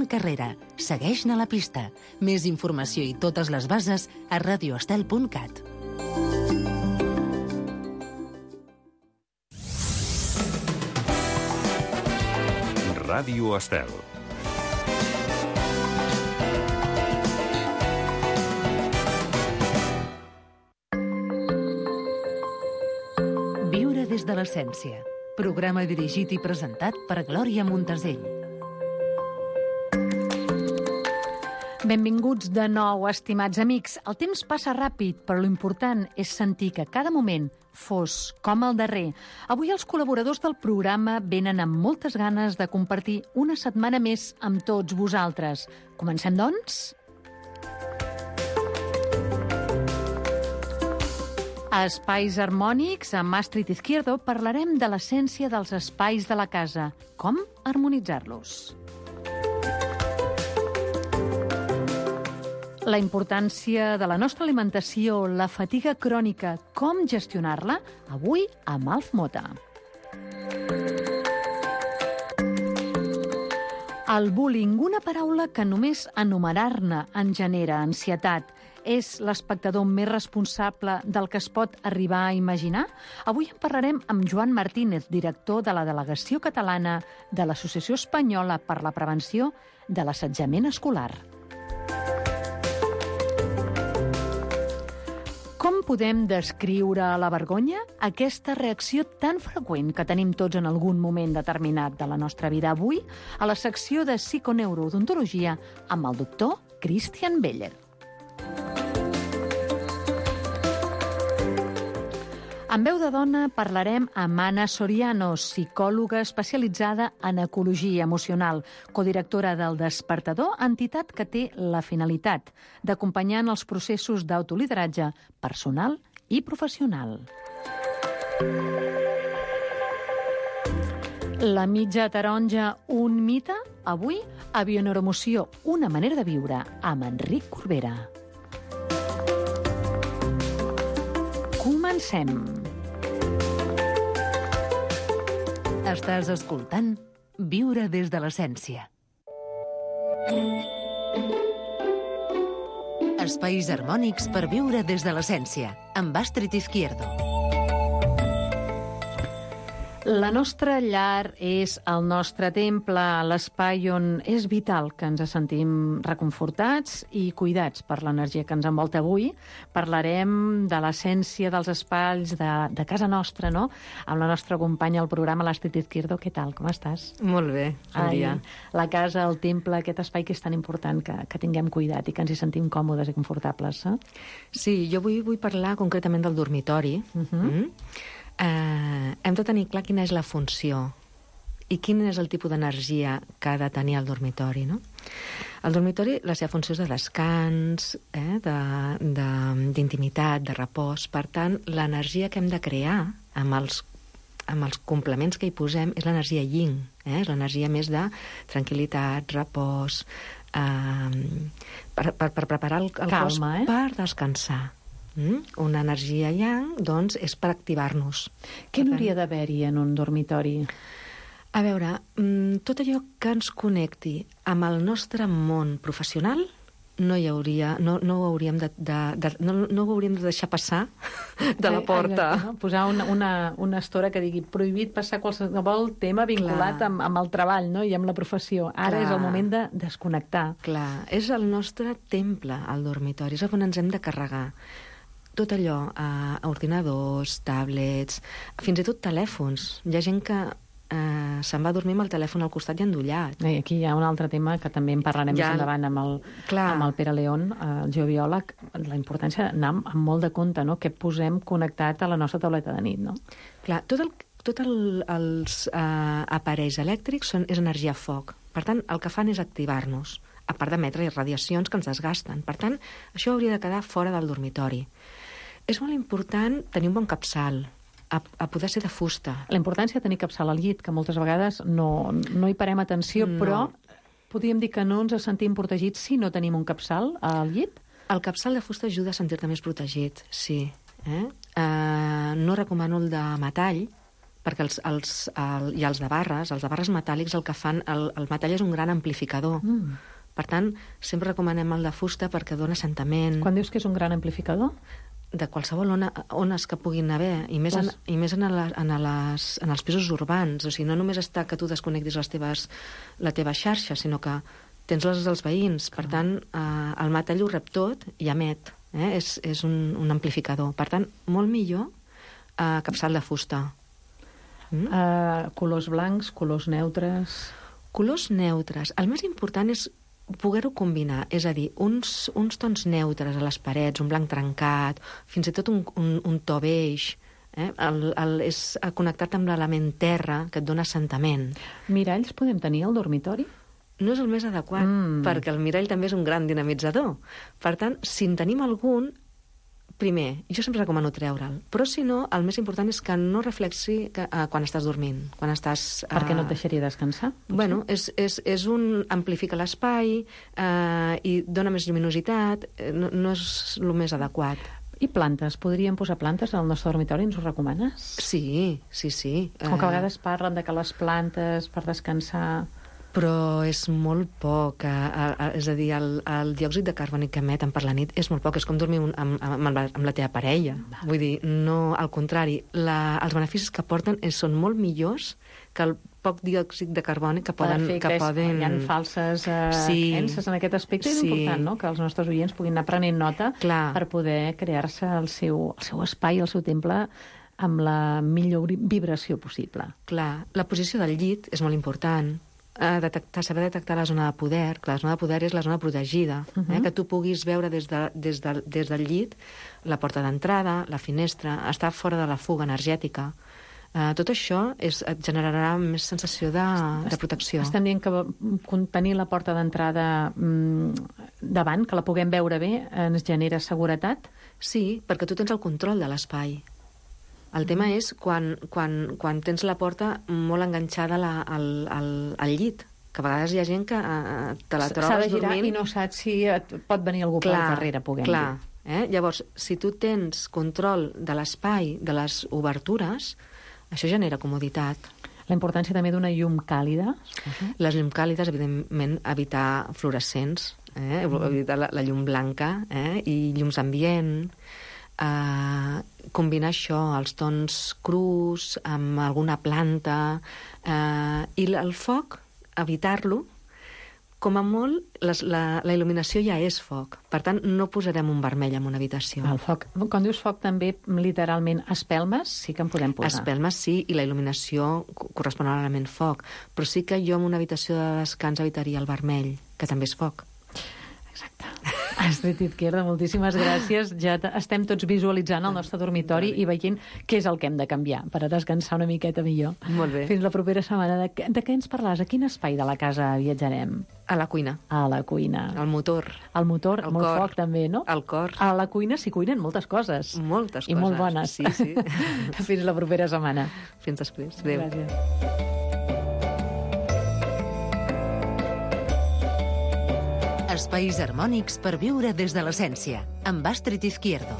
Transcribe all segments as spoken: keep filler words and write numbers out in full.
Joan Carrera. Segueix-ne la pista. Més informació i totes les bases a radio estel punt cat. Ràdio Estel. Viure des de l'essència. Programa dirigit i presentat per Glòria Montesell. Benvinguts de nou, estimats amics. El temps passa ràpid, però l'important és sentir que cada moment fos com el darrer. Avui els col·laboradors del programa venen amb moltes ganes de compartir una setmana més amb tots vosaltres. Comencem, doncs? A Espais Harmònics, amb Astrid Izquierdo, parlarem de l'essència dels espais de la casa. Com harmonitzar-los? La importància de la nostra alimentació, la fatiga crònica, com gestionar-la? Avui amb Alf Mota. El bullying, una paraula que només enumerar-ne en genera ansietat. És l'espectador més responsable del que es pot arribar a imaginar? Avui en parlarem amb Joan Martínez, director de la Delegació Catalana de l'Associació Espanyola per la Prevenció de l'Assetjament Escolar. Com podem descriure la vergonya? Aquesta reacció tan freqüent que tenim tots en algun moment determinat de la nostra vida. Avui, a la secció de psiconeurodontologia amb el doctor Christian Beller. En veu de dona parlarem amb Anna Soriano, psicòloga especialitzada en ecologia emocional, codirectora del Despertador, entitat que té la finalitat d'acompanyar en els processos d'autolideratge personal i professional. La mitja taronja, un mite? Avui, a Bioneuroemoció, una manera de viure, amb Enric Corbera. Comencem. Estàs escoltant Viure des de l'essència. Espais harmònics per viure des de l'essència, amb Astrid Izquierdo. La nostra llar és el nostre temple, l'espai on és vital que ens sentim reconfortats i cuidats per l'energia que ens envolta. Avui parlarem de l'essència dels espais de, de casa nostra, no? Amb la nostra companya al programa, l'Astrid Izquierdo. Què tal? Com estàs? Molt bé, bon Ai, dia. La casa, el temple, aquest espai que és tan important que, que tinguem cuidat i que ens hi sentim còmodes i confortables. Eh? Sí, jo avui vull parlar concretament del dormitori. Uh-huh. mm? Uh, hem de tenir clar quina és la funció i quin és el tipus d'energia que ha de tenir el dormitori, no? El dormitori, la seva funció és de descans, eh, de, de, d'intimitat, de repòs. Per tant, l'energia que hem de crear amb els, amb els complements que hi posem és l'energia yin, eh? És l'energia més de tranquil·litat, repòs, eh, per, per, per preparar el, el Calma, cos eh? per descansar. Mm? Una energia yang, doncs, és per activar-nos. Què n'hauria d'haver-hi en un dormitori? A veure, tot allò que ens connecti amb el nostre món professional no hi hauria, no, no ho hauríem de, de, de no, no ho hauríem de deixar passar de la porta. Exacte, no? Posar una, una, una estora que digui prohibit passar qualsevol tema vinculat amb, amb el treball, no? I amb la professió. Ara Clar. És el moment de desconnectar. Clar, és el nostre temple, el dormitori, és on ens hem de carregar. Tot allò, eh, ordinadors, tablets, fins i tot telèfons. Hi ha gent que eh, se'n va a dormir amb el telèfon al costat i endollat. I aquí hi ha un altre tema que també en parlarem ja, més endavant amb el, amb el Pere León, el geobiòleg, la importància d'anar amb, amb molt de compte, no?, què posem connectat a la nostra tauleta de nit, no? Clar, tot el, tot el, els eh, aparells elèctrics són, és energia foc. Per tant, el que fan és activar-nos, a part d'emetre radiacions que ens desgasten. Per tant, això hauria de quedar fora del dormitori. És molt important tenir un bon capçal, a, a poder ser de fusta. La importància de tenir capçal al llit, que moltes vegades no, no hi parem atenció, no. Però podríem dir que no ens sentim protegits si no tenim un capçal al llit? El capçal de fusta ajuda a sentir-te més protegit, sí. Eh? Uh, no recomano el de metall, perquè els, els, el, i els de barres, els de barres metàl·lics el que fan, el, el metall és un gran amplificador. Mm. Per tant, sempre recomanem el de fusta perquè dona assentament. Quan dius que és un gran amplificador? De qualsevol ona, ones que puguin haver, i més, en, i més en, la, en, les, en els pisos urbans. O sigui, no només està que tu desconnectis les teves, la teva xarxa, sinó que tens les dels veïns. Per tant, eh, el metall ho rep tot i emet. Eh? És, és un, un amplificador. Per tant, molt millor eh, capçal de fusta. Mm? Uh, colors blancs, colors neutres... Colors neutres. El més important és poder-ho combinar, és a dir, uns, uns tons neutres a les parets, un blanc trencat, fins i tot un, un, un to beix, eh? el, el, és connectat amb l'element terra, que et dona assentament. Miralls podem tenir al dormitori? No és el més adequat, mm. perquè el mirall també és un gran dinamitzador. Per tant, si en tenim algun, primer, jo sempre recomano treure'l, però si no, el més important és que no reflexi que, uh, quan estàs dormint, quan estàs... Uh... Perquè no et deixaria descansar? Potser? Bueno, és, és, és un... amplifica l'espai uh, i dona més lluminositat, no, no és el més adequat. I plantes? Podríem posar plantes al nostre dormitori? Ens ho recomanes? Sí, sí, sí. Com que a vegades parlen de que les plantes per descansar... Però és molt poc, a, a, a, és a dir, el, el diòxid de carboni que emeten per la nit és molt poc, és com dormir un, amb, amb, amb, la, amb la teva parella. Va. Vull dir, no, al contrari, la, els beneficis que porten és, són molt millors que el poc diòxid de carboni que poden... Perfecte, que és, poden... hi ha falses uh, sí. creences en aquest aspecte, és sí. important, no?, que els nostres oients puguin anar prenent nota Clar. Per poder crear-se el seu, el seu espai, el seu temple, amb la millor vibració possible. Clar, la posició del llit és molt important. Uh, detectar, saber detectar la zona de poder, que la zona de poder és la zona protegida, uh -huh. eh? que tu puguis veure des, de, des, de, des del llit la porta d'entrada, la finestra, estar fora de la fuga energètica. Uh, tot això és, et generarà més sensació de, de protecció. Estem dient que tenir la porta d'entrada mmm, davant, que la puguem veure bé, ens genera seguretat? Sí, perquè tu tens el control de l'espai. El tema és quan, quan, quan tens la porta molt enganxada la, al, al, al llit, que a vegades hi ha gent que uh, te la trobes s'ha de girar dormint... i no saps si et pot venir algú clar, per darrere, puguem clar, dir. Eh? Llavors, si tu tens control de l'espai, de les obertures, això genera comoditat. La importància també d'una llum càlida? Les llums càlides, evidentment, evitar fluorescents, eh? mm. evitar la, la llum blanca, eh? i llums ambient... Uh, combinar això, els tons crus amb alguna planta uh, i el foc, evitar-lo. Com a molt, les, la, la il·luminació ja és foc. Per tant, no posarem un vermell en una habitació. El foc. Quan dius foc, també, literalment, espelmes sí que en podem posar. Espelmes sí, i la il·luminació correspon a l'element foc. Però sí que jo en una habitació de descans evitaria el vermell, que també és foc. Exacte. Astrid Izquierdo, moltíssimes gràcies. Ja estem tots visualitzant el nostre dormitori i veient què és el que hem de canviar per a descansar una miqueta millor. Molt bé. Fins la propera setmana. De, de què ens parlaràs? A quin espai de la casa viatjarem? A la cuina. A la cuina. Al motor. Al motor, el molt cor. foc també, no? Al cor. A la cuina s'hi cuinen moltes coses. Moltes I coses. I molt bones. Sí, sí. Fins la propera setmana. Fins després. Adéu. Gràcies. Espais harmònics per viure des de l'essència, amb Astrid Izquierdo.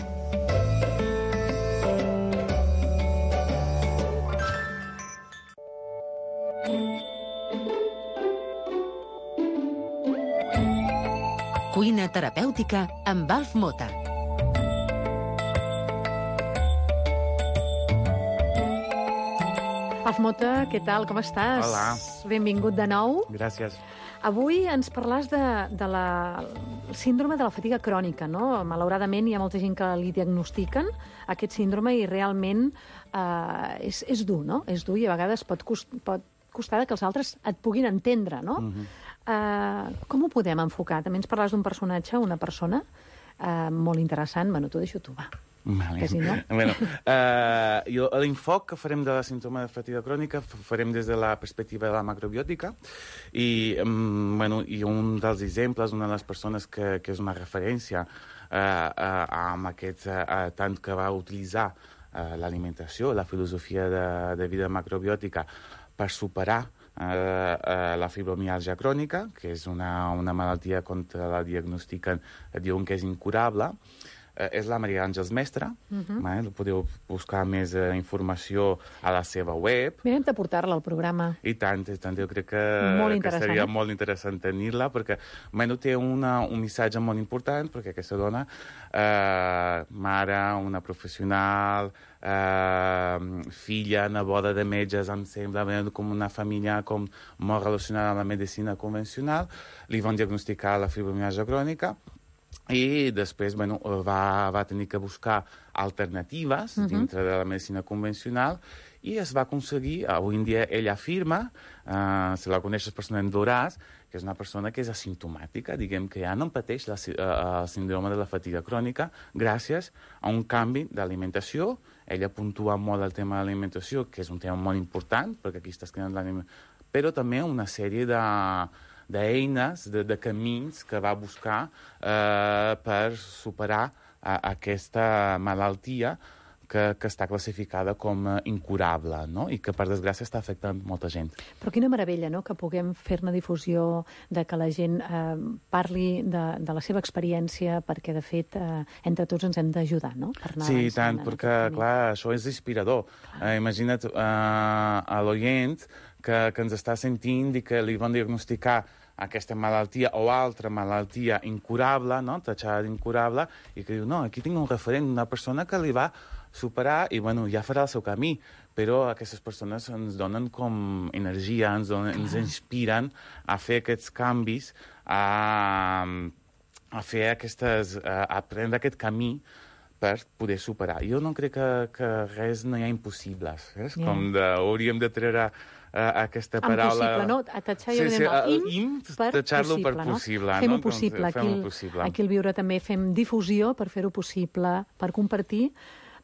Cuina terapèutica amb Alf Mota. Alf Mota, què tal? Com estàs? Hola. Benvingut de nou. Gràcies. Avui ens parlàs de, de la síndrome de la fatiga crònica, no? Malauradament hi ha molta gent que li diagnostiquen aquest síndrome i realment eh, és, és dur, no? És dur i a vegades pot, cost, pot costar que els altres et puguin entendre, no? Uh-huh. eh, com ho podem enfocar? També ens parlàs d'un personatge, una persona eh, molt interessant. Bueno, t'ho deixo tu, va. Vale. Que si no... Bueno, uh, jo, l'infoc que farem de la símptoma de fatiga crònica farem des de la perspectiva de la macrobiòtica i, um, bueno, i un dels exemples, una de les persones que, que és una referència uh, uh, amb aquest uh, tant que va utilitzar uh, l'alimentació, la filosofia de, de vida macrobiòtica per superar uh, uh, la fibromiàlgia crònica, que és una, una malaltia contra la diagnostiquen, diuen que és incurable. eh, és la Maria Àngels Mestre. Uh-huh. Vale? Podeu buscar més eh, informació a la seva web. Mirem de portar-la al programa. I tant, i tant. Jo crec que, que seria eh? molt interessant tenir-la, perquè bueno, té una, un missatge molt important, perquè aquesta dona, eh, mare, una professional, eh, filla, neboda de metges, em sembla, com una família com molt relacionada amb la medicina convencional, li van diagnosticar la fibromialgia crònica, i després bueno, va, va tenir que buscar alternatives uh-huh. dintre de la medicina convencional i es va aconseguir, avui en dia ella afirma, uh, se la coneixes personalment veuràs, que és una persona que és asimptomàtica, diguem que ja no pateix la, uh, el síndrome de la fatiga crònica gràcies a un canvi d'alimentació. Ella puntua molt el tema de l'alimentació, que és un tema molt important, perquè aquí estàs creant l'alimentació, però també una sèrie de d'eines, de, de camins que va buscar eh, per superar a, aquesta malaltia que, que està classificada com uh, incurable, no? I que, per desgràcia, està afectant molta gent. Però quina meravella, no?, que puguem fer-ne difusió, de que la gent eh, parli de, de la seva experiència, perquè, de fet, eh, entre tots ens hem d'ajudar, no?, per anar sí, tant, perquè, clar, això és inspirador. Eh, imagina't eh, a l'oient que, que ens està sentint i que li van diagnosticar aquesta malaltia o altra malaltia incurable, no?, tatxada d'incurable, i que diu, no, aquí tinc un referent, una persona que li va superar i, bueno, ja farà el seu camí, però aquestes persones ens donen com energia, ens, donen, ens inspiren a fer aquests canvis, a, a fer aquestes, a, a prendre aquest camí per poder superar. Jo no crec que, que res no hi ha impossibles. És yeah. com de, hauríem de treure uh, aquesta paraula... Impossible, no? A tatxar, jo sí, sí, el im, im per tatxar-lo possible, per no? possible. Fem-ho no? possible. Fem Aquí, possible. Aquí al Viure també fem difusió per fer-ho possible, per compartir,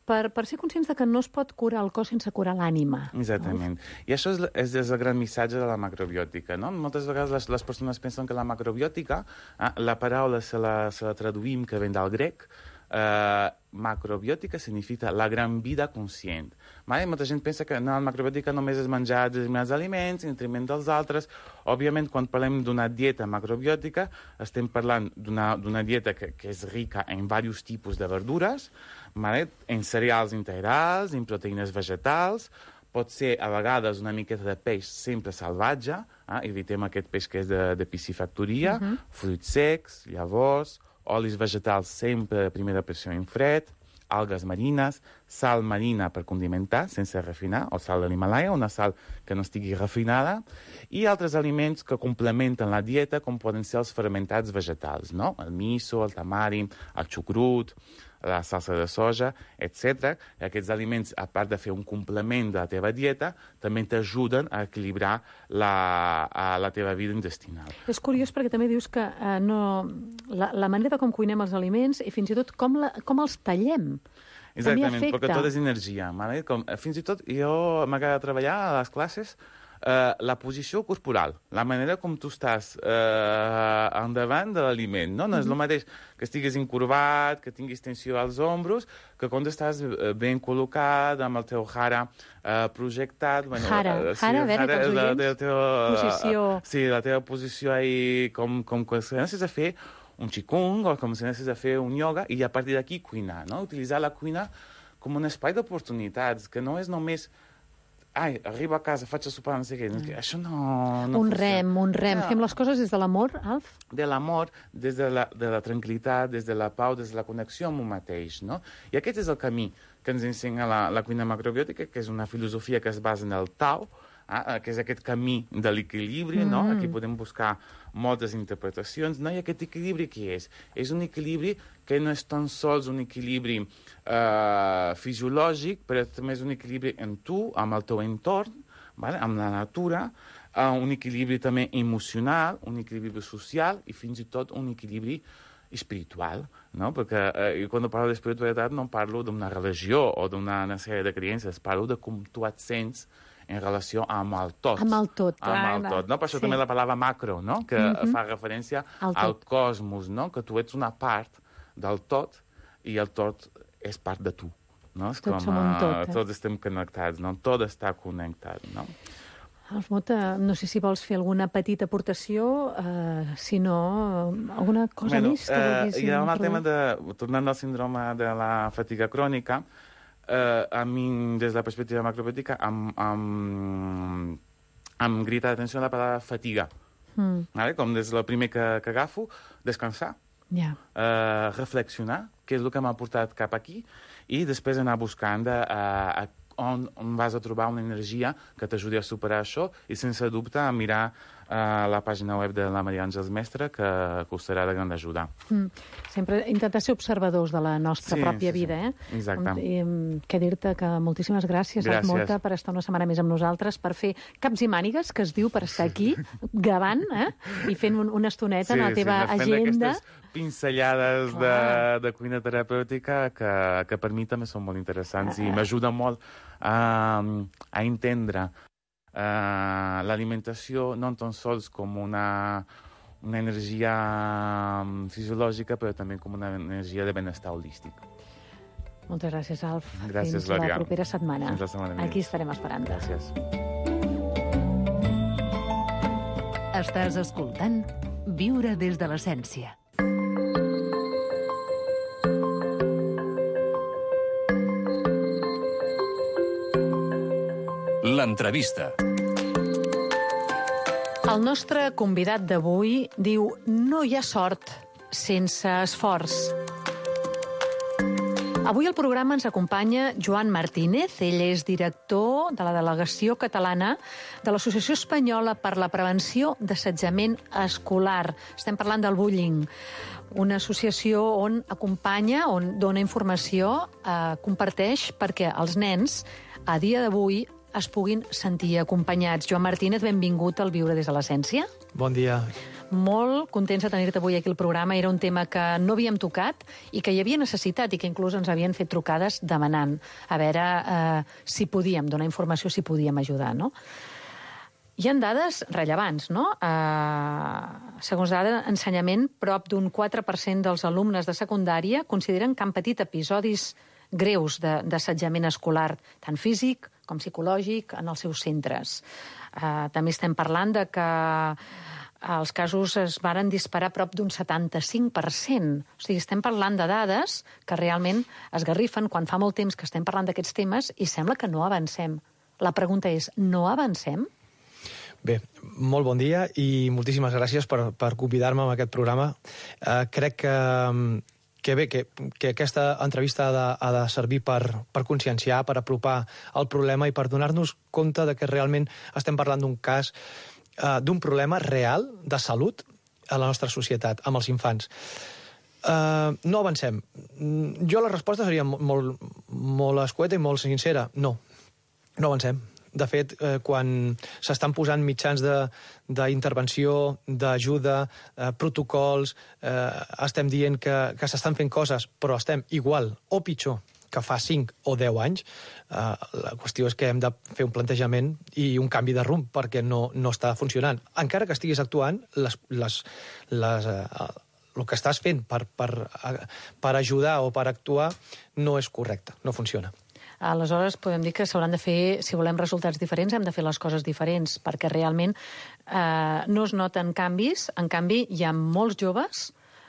per, per ser conscients de que no es pot curar el cos sense curar l'ànima. Exactament. No? I això és, és, és el gran missatge de la macrobiòtica, no? Moltes vegades les, les persones pensen que la macrobiòtica, eh, la paraula se la, se la traduïm, que ven del grec, Uh, macrobiòtica significa la gran vida conscient. Vale? Molta gent pensa que no, la macrobiòtica només és menjar determinats aliments en detriment dels altres. Òbviament, quan parlem d'una dieta macrobiòtica, estem parlant d'una dieta que, que és rica en diversos tipus de verdures, vale? En cereals integrals, en proteïnes vegetals, pot ser a vegades una miqueta de peix sempre salvatge, eh? Evitem aquest peix que és de, de piscifactoria, uh-huh. fruits secs, llavors, olis vegetals sempre de primera pressió en fred, algues marines, sal marina per condimentar, sense refinar, o sal de l'Himalaya, una sal que no estigui refinada, i altres aliments que complementen la dieta, com poden ser els fermentats vegetals, no? El miso, el tamari, el xucrut, la salsa de soja, etcètera. Aquests aliments, a part de fer un complement de la teva dieta, també t'ajuden a equilibrar la, a la teva vida intestinal. És curiós perquè també dius que eh, no, la, la manera de com cuinem els aliments i fins i tot com, la, com els tallem. Exactament, perquè tot és energia. Vale? Com, fins i tot jo m'agrada treballar a les classes Uh, la posició corporal, la manera com tu estàs uh, endavant de l'aliment, no? No és el mateix que estiguis incurvat, que tinguis tensió als ombros, que quan estàs ben col·locat, amb el teu jara uh, projectat... Bueno, jara, uh, sí, jara, a veure, jara, pels la, oients, la teva, posició... Uh, sí, la teva posició ahí, com, com que necessites a fer un qigong, o com si necessites a fer un ioga, i a partir d'aquí cuinar, no? Utilitzar la cuina com un espai d'oportunitats, que no és només... Ai, arribo a casa, faig a sopar, no sé què. Mm. Això no, no un funciona. rem, un rem. No. Fem les coses des de l'amor, Alf? De l'amor, des de la, de la tranquil·litat, des de la pau, des de la connexió amb un mateix, no? I aquest és el camí que ens ensenya la, la cuina macrobiòtica, que és una filosofia que es basa en el Tao, eh, que és aquest camí de l'equilibri, mm. no? Aquí podem buscar moltes interpretacions, no? I aquest equilibri què és? És un equilibri que no és tan sols un equilibri eh, fisiològic, però també és un equilibri en tu, amb el teu entorn, vale? Amb la natura, uh, un equilibri també emocional, un equilibri social i fins i tot un equilibri espiritual, no? Perquè eh, quan parlo d'espiritualitat no parlo d'una religió o d'una sèrie de creences, parlo de com tu et sents en relació amb el tot. Amb el tot, clar. Amb el tot, no? Per això sí. També la paraula macro, no? Que mm-hmm. fa referència al, al cosmos, no? Que tu ets una part del tot i el tot és part de tu, no? És tots com, som un tot, eh? Tots estem connectats, no? Tot està connectat, no? Alfmut, no sé si vols fer alguna petita aportació, eh, si no, alguna cosa bueno, més que eh, vulguis I amb el introduir? tema de, tornant al síndrome de la fatiga crònica, eh, a mi, des de la perspectiva macrobiòtica, em, em, em grita l'atenció la paraula fatiga. Mm. Vale? Com des del primer que, que agafo, descansar, yeah. eh, reflexionar, què és el que m'ha portat cap aquí, i després anar buscant de, a, a On, on vas a trobar una energia que t'ajudi a superar això i, sense dubte, a mirar uh, la pàgina web de la Maria Àngels Mestre, que, que us serà de gran ajuda. Mm. Sempre intentar ser observadors de la nostra sí, pròpia sí, vida. Sí. Eh? Exacte. I, què dir-te que moltíssimes gràcies, gràcies. Alfmut, per estar una setmana més amb nosaltres, per fer caps i mànigues, que es diu, per estar aquí, gravant, eh? I fent un, una estoneta sí, en la teva sí, agenda. Aquestes pinzellades de, de cuina terapèutica que, que per mi també són molt interessants ah. i m'ajuden molt a, a entendre uh, l'alimentació no tan sols com una, una energia fisiològica, però també com una energia de benestar holístic. Moltes gràcies, Alf. Gràcies, Fins Glòria. la propera setmana. Fins la setmana Aquí estarem esperant. Gràcies. Estàs escoltant Viure des de l'essència. L'entrevista. El nostre convidat d'avui diu: no hi ha sort sense esforç. Avui al programa ens acompanya Joan Martínez. Ell és director de la delegació catalana de l'Associació Espanyola per la Prevenció d'Assetjament Escolar. Estem parlant del bullying, una associació on acompanya, on dona informació, eh, comparteix perquè els nens, a dia d'avui, es puguin sentir acompanyats. Joan Martínez, benvingut al Viure des de l'Essència. Bon dia. Molt contents de tenir-te avui aquí al programa. Era un tema que no havíem tocat i que hi havia necessitat i que inclús ens havien fet trucades demanant a veure eh, si podíem donar informació, si podíem ajudar, no? Hi ha dades rellevants, no? Eh, segons dades d'ensenyament, prop d'un quatre per cent dels alumnes de secundària consideren que han patit episodis greus d'assetjament escolar, tant físic com psicològic, en els seus centres. Eh, també estem parlant de que els casos es varen disparar prop d'un setanta-cinc per cent. O sigui, estem parlant de dades que realment esgarrifen quan fa molt temps que estem parlant d'aquests temes i sembla que no avancem. La pregunta és, no avancem? Bé, molt bon dia i moltíssimes gràcies per, per convidar-me a aquest programa. Eh, crec que, que bé, que, que aquesta entrevista ha de, ha de servir per, per conscienciar, per apropar el problema i per donar-nos compte de que realment estem parlant d'un cas, eh, d'un problema real de salut a la nostra societat, amb els infants. Eh, no avancem. Jo la resposta seria molt, molt escueta i molt sincera. No, no avancem. De fet, eh, quan s'estan posant mitjans d'intervenció, de, d'ajuda, eh, protocols, eh, estem dient que, que s'estan fent coses, però estem igual o pitjor que fa cinc o deu anys, eh, la qüestió és que hem de fer un plantejament i un canvi de rumb perquè no, no està funcionant. Encara que estiguis actuant, les, les, les, eh, el que estàs fent per, per, per ajudar o per actuar no és correcte, no funciona. Aleshores, podem dir que s'hauran de fer, si volem resultats diferents, hem de fer les coses diferents, perquè realment eh, no es noten canvis. En canvi, hi ha molts joves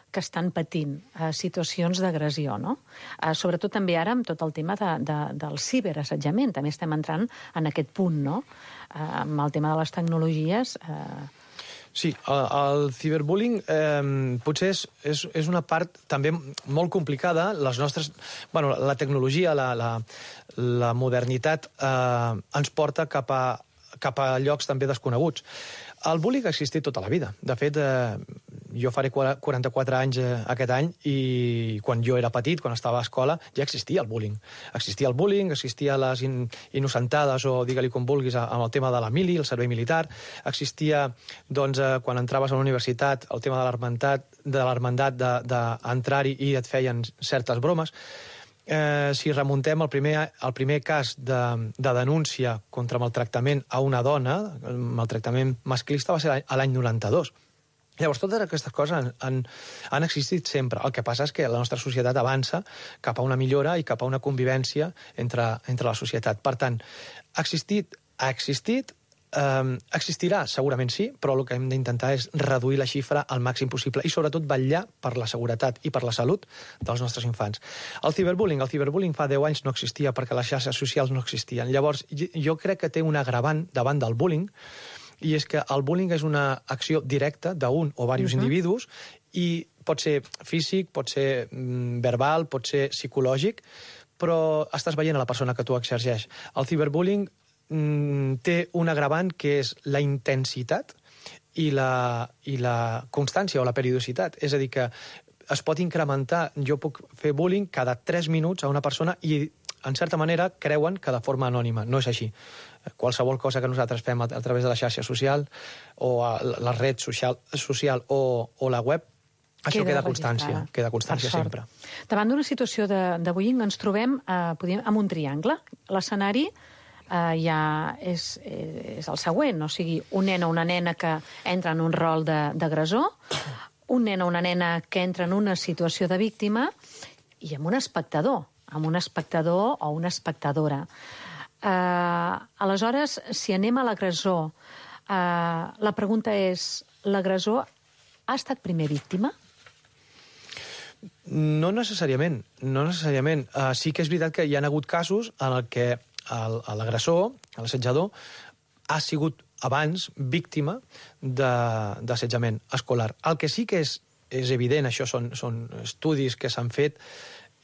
que estan patint eh, situacions d'agressió, no? Eh, sobretot també ara amb tot el tema de, de, del ciberassetjament. També estem entrant en aquest punt, no? Eh, amb el tema de les tecnologies... Eh, Sí, el, el ciberbullying eh, potser és, és, és una part també molt complicada. Les nostres, bueno, la tecnologia, la, la, la modernitat eh, ens porta cap a, cap a llocs també desconeguts. El bullying ha existit tota la vida. De fet, eh, jo faré quaranta-quatre anys eh, aquest any i quan jo era petit, quan estava a escola, ja existia el bullying. Existia el bullying, existia les in, innocentades, o digue-li com vulguis, amb el tema de la mili, el servei militar. Existia, doncs, eh, quan entraves a la universitat, el tema de l'hermandat, de l'hermandat d'entrar-hi i et feien certes bromes. Eh, si remuntem el primer, el primer cas de, de denúncia contra maltractament a una dona, el maltractament masclista, va ser a l'any noranta-dos. Llavors, totes aquestes coses han, han, han existit sempre. El que passa és que la nostra societat avança cap a una millora i cap a una convivència entre, entre la societat. Per tant, ha existit, ha existit, Eh, existirà? Segurament sí, però el que hem d'intentar és reduir la xifra al màxim possible i sobretot vetllar per la seguretat i per la salut dels nostres infants. El ciberbullying, el ciberbullying fa deu anys no existia perquè les xarxes socials no existien. Llavors, jo crec que té un agravant davant del bullying, i és que el bullying és una acció directa d'un o diversos uh-huh. individus, i pot ser físic, pot ser mm, verbal, pot ser psicològic, però estàs veient a la persona que tu exerceix. El ciberbullying té un agravant que és la intensitat i la, i la constància o la periodicitat. És a dir, que es pot incrementar. Jo puc fer bullying cada tres minuts a una persona i, en certa manera, creuen que de forma anònima. No és així. Qualsevol cosa que nosaltres fem a, a través de la xarxa social o a la red social, social o, o la web, això queda, queda constància, queda constància sempre. Davant d'una situació de, de bullying ens trobem eh, podríem, amb un triangle. L'escenari Uh, ja és, és el següent, o sigui, un nen o una nena que entra en un rol d'agressor, un nen o una nena que entra en una situació de víctima i amb un espectador, amb un espectador o una espectadora. Uh, aleshores, si anem a l'agressor, uh, la pregunta és, l'agressor ha estat primer víctima? No necessàriament, no necessàriament. Uh, sí que és veritat que hi ha hagut casos en el que l'agressor, l'assetjador, ha sigut abans víctima d'assetjament escolar. El que sí que és, és evident, això són, són estudis que s'han fet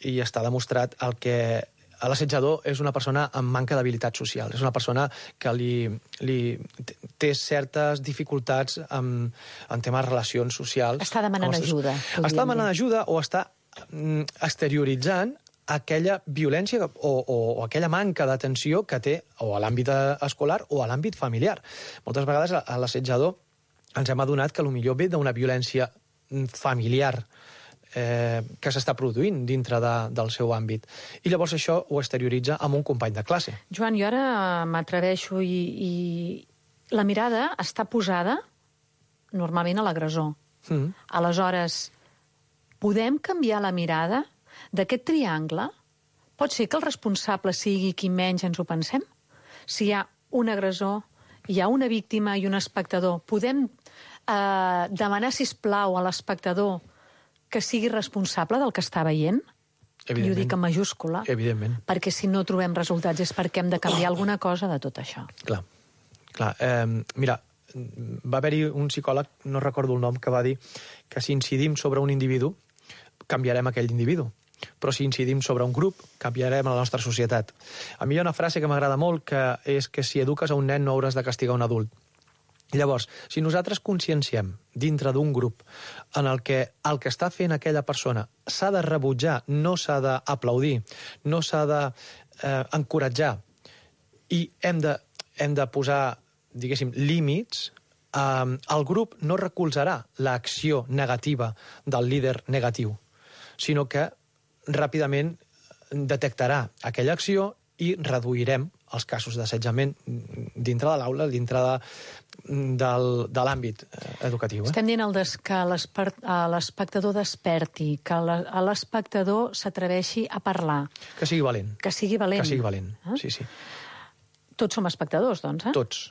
i està demostrat, el que l'assetjador és una persona amb manca d'habilitat social, és una persona que li, li té certes dificultats en, en temes de relacions socials. Està demanant ajuda. Està demanant ajuda o està exterioritzant aquella violència o, o, o aquella manca d'atenció que té o a l'àmbit escolar o a l'àmbit familiar. Moltes vegades a l'assetjador ens hem adonat que potser ve d'una violència familiar eh, que s'està produint dintre de, del seu àmbit. I llavors això ho exterioritza amb un company de classe. Joan, jo ara m'atreveixo i, i la mirada està posada normalment a l'agressor. Mm. Aleshores, podem canviar la mirada d'aquest triangle? Pot ser que el responsable sigui qui menys ens ho pensem? Si hi ha un agressor, hi ha una víctima i un espectador, podem eh, demanar, sisplau, a l'espectador que sigui responsable del que està veient? I ho dic en majúscula. Evidentment. Perquè si no trobem resultats és perquè hem de canviar alguna cosa de tot això. Clar. Clar. Eh, mira, va haver-hi un psicòleg, no recordo el nom, que va dir que si incidim sobre un individu, canviarem aquell individu. Però si incidim sobre un grup, canviarem la nostra societat. A mi hi ha una frase que m'agrada molt, que és que si eduques a un nen no hauràs de castigar un adult. Llavors, si nosaltres conscienciem dintre d'un grup en el que el que està fent aquella persona s'ha de rebutjar, no s'ha d'aplaudir, no s'ha d'encoratjar, i hem de, hem de posar, diguéssim, límits, eh, el grup no recolzarà l'acció negativa del líder negatiu, sinó que ràpidament detectarà aquella acció i reduirem els casos d'assetjament dintre de l'aula, dintre de, del, de l'àmbit educatiu. Eh? Estem dient el des, que l'espectador desperti, que l'espectador s'atreveixi a parlar. Que sigui valent. Que sigui valent. Que sigui valent, eh? sí, sí. Tots som espectadors, doncs, eh? Tots.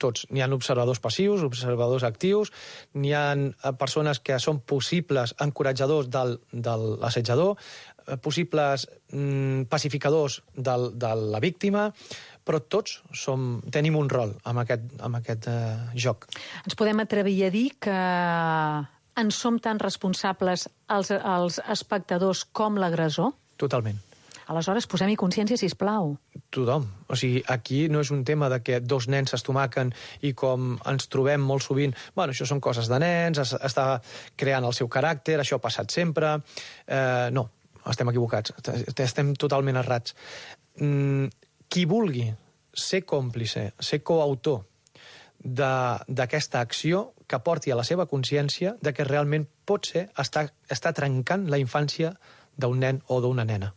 Tots. N'hi ha observadors passius, observadors actius, n'hi ha persones que són possibles encoratjadors del, de l'assetjador, possibles mm, pacificadors del, de la víctima, però tots som, tenim un rol en aquest, en aquest eh, joc. Ens podem atrevir a dir que en som tan responsables els, els espectadors com l'agressor? Totalment. Aleshores, posem-hi consciència, sisplau. Tothom. O sigui, aquí no és un tema de que dos nens s'estomaquen i com ens trobem molt sovint, bueno, això són coses de nens, es, està creant el seu caràcter, això ha passat sempre. Eh, no, estem equivocats, estem totalment errats. Mm, qui vulgui ser còmplice, ser coautor d'aquesta acció, que porti a la seva consciència de que realment pot ser estar, estar trencant la infància d'un nen o d'una nena.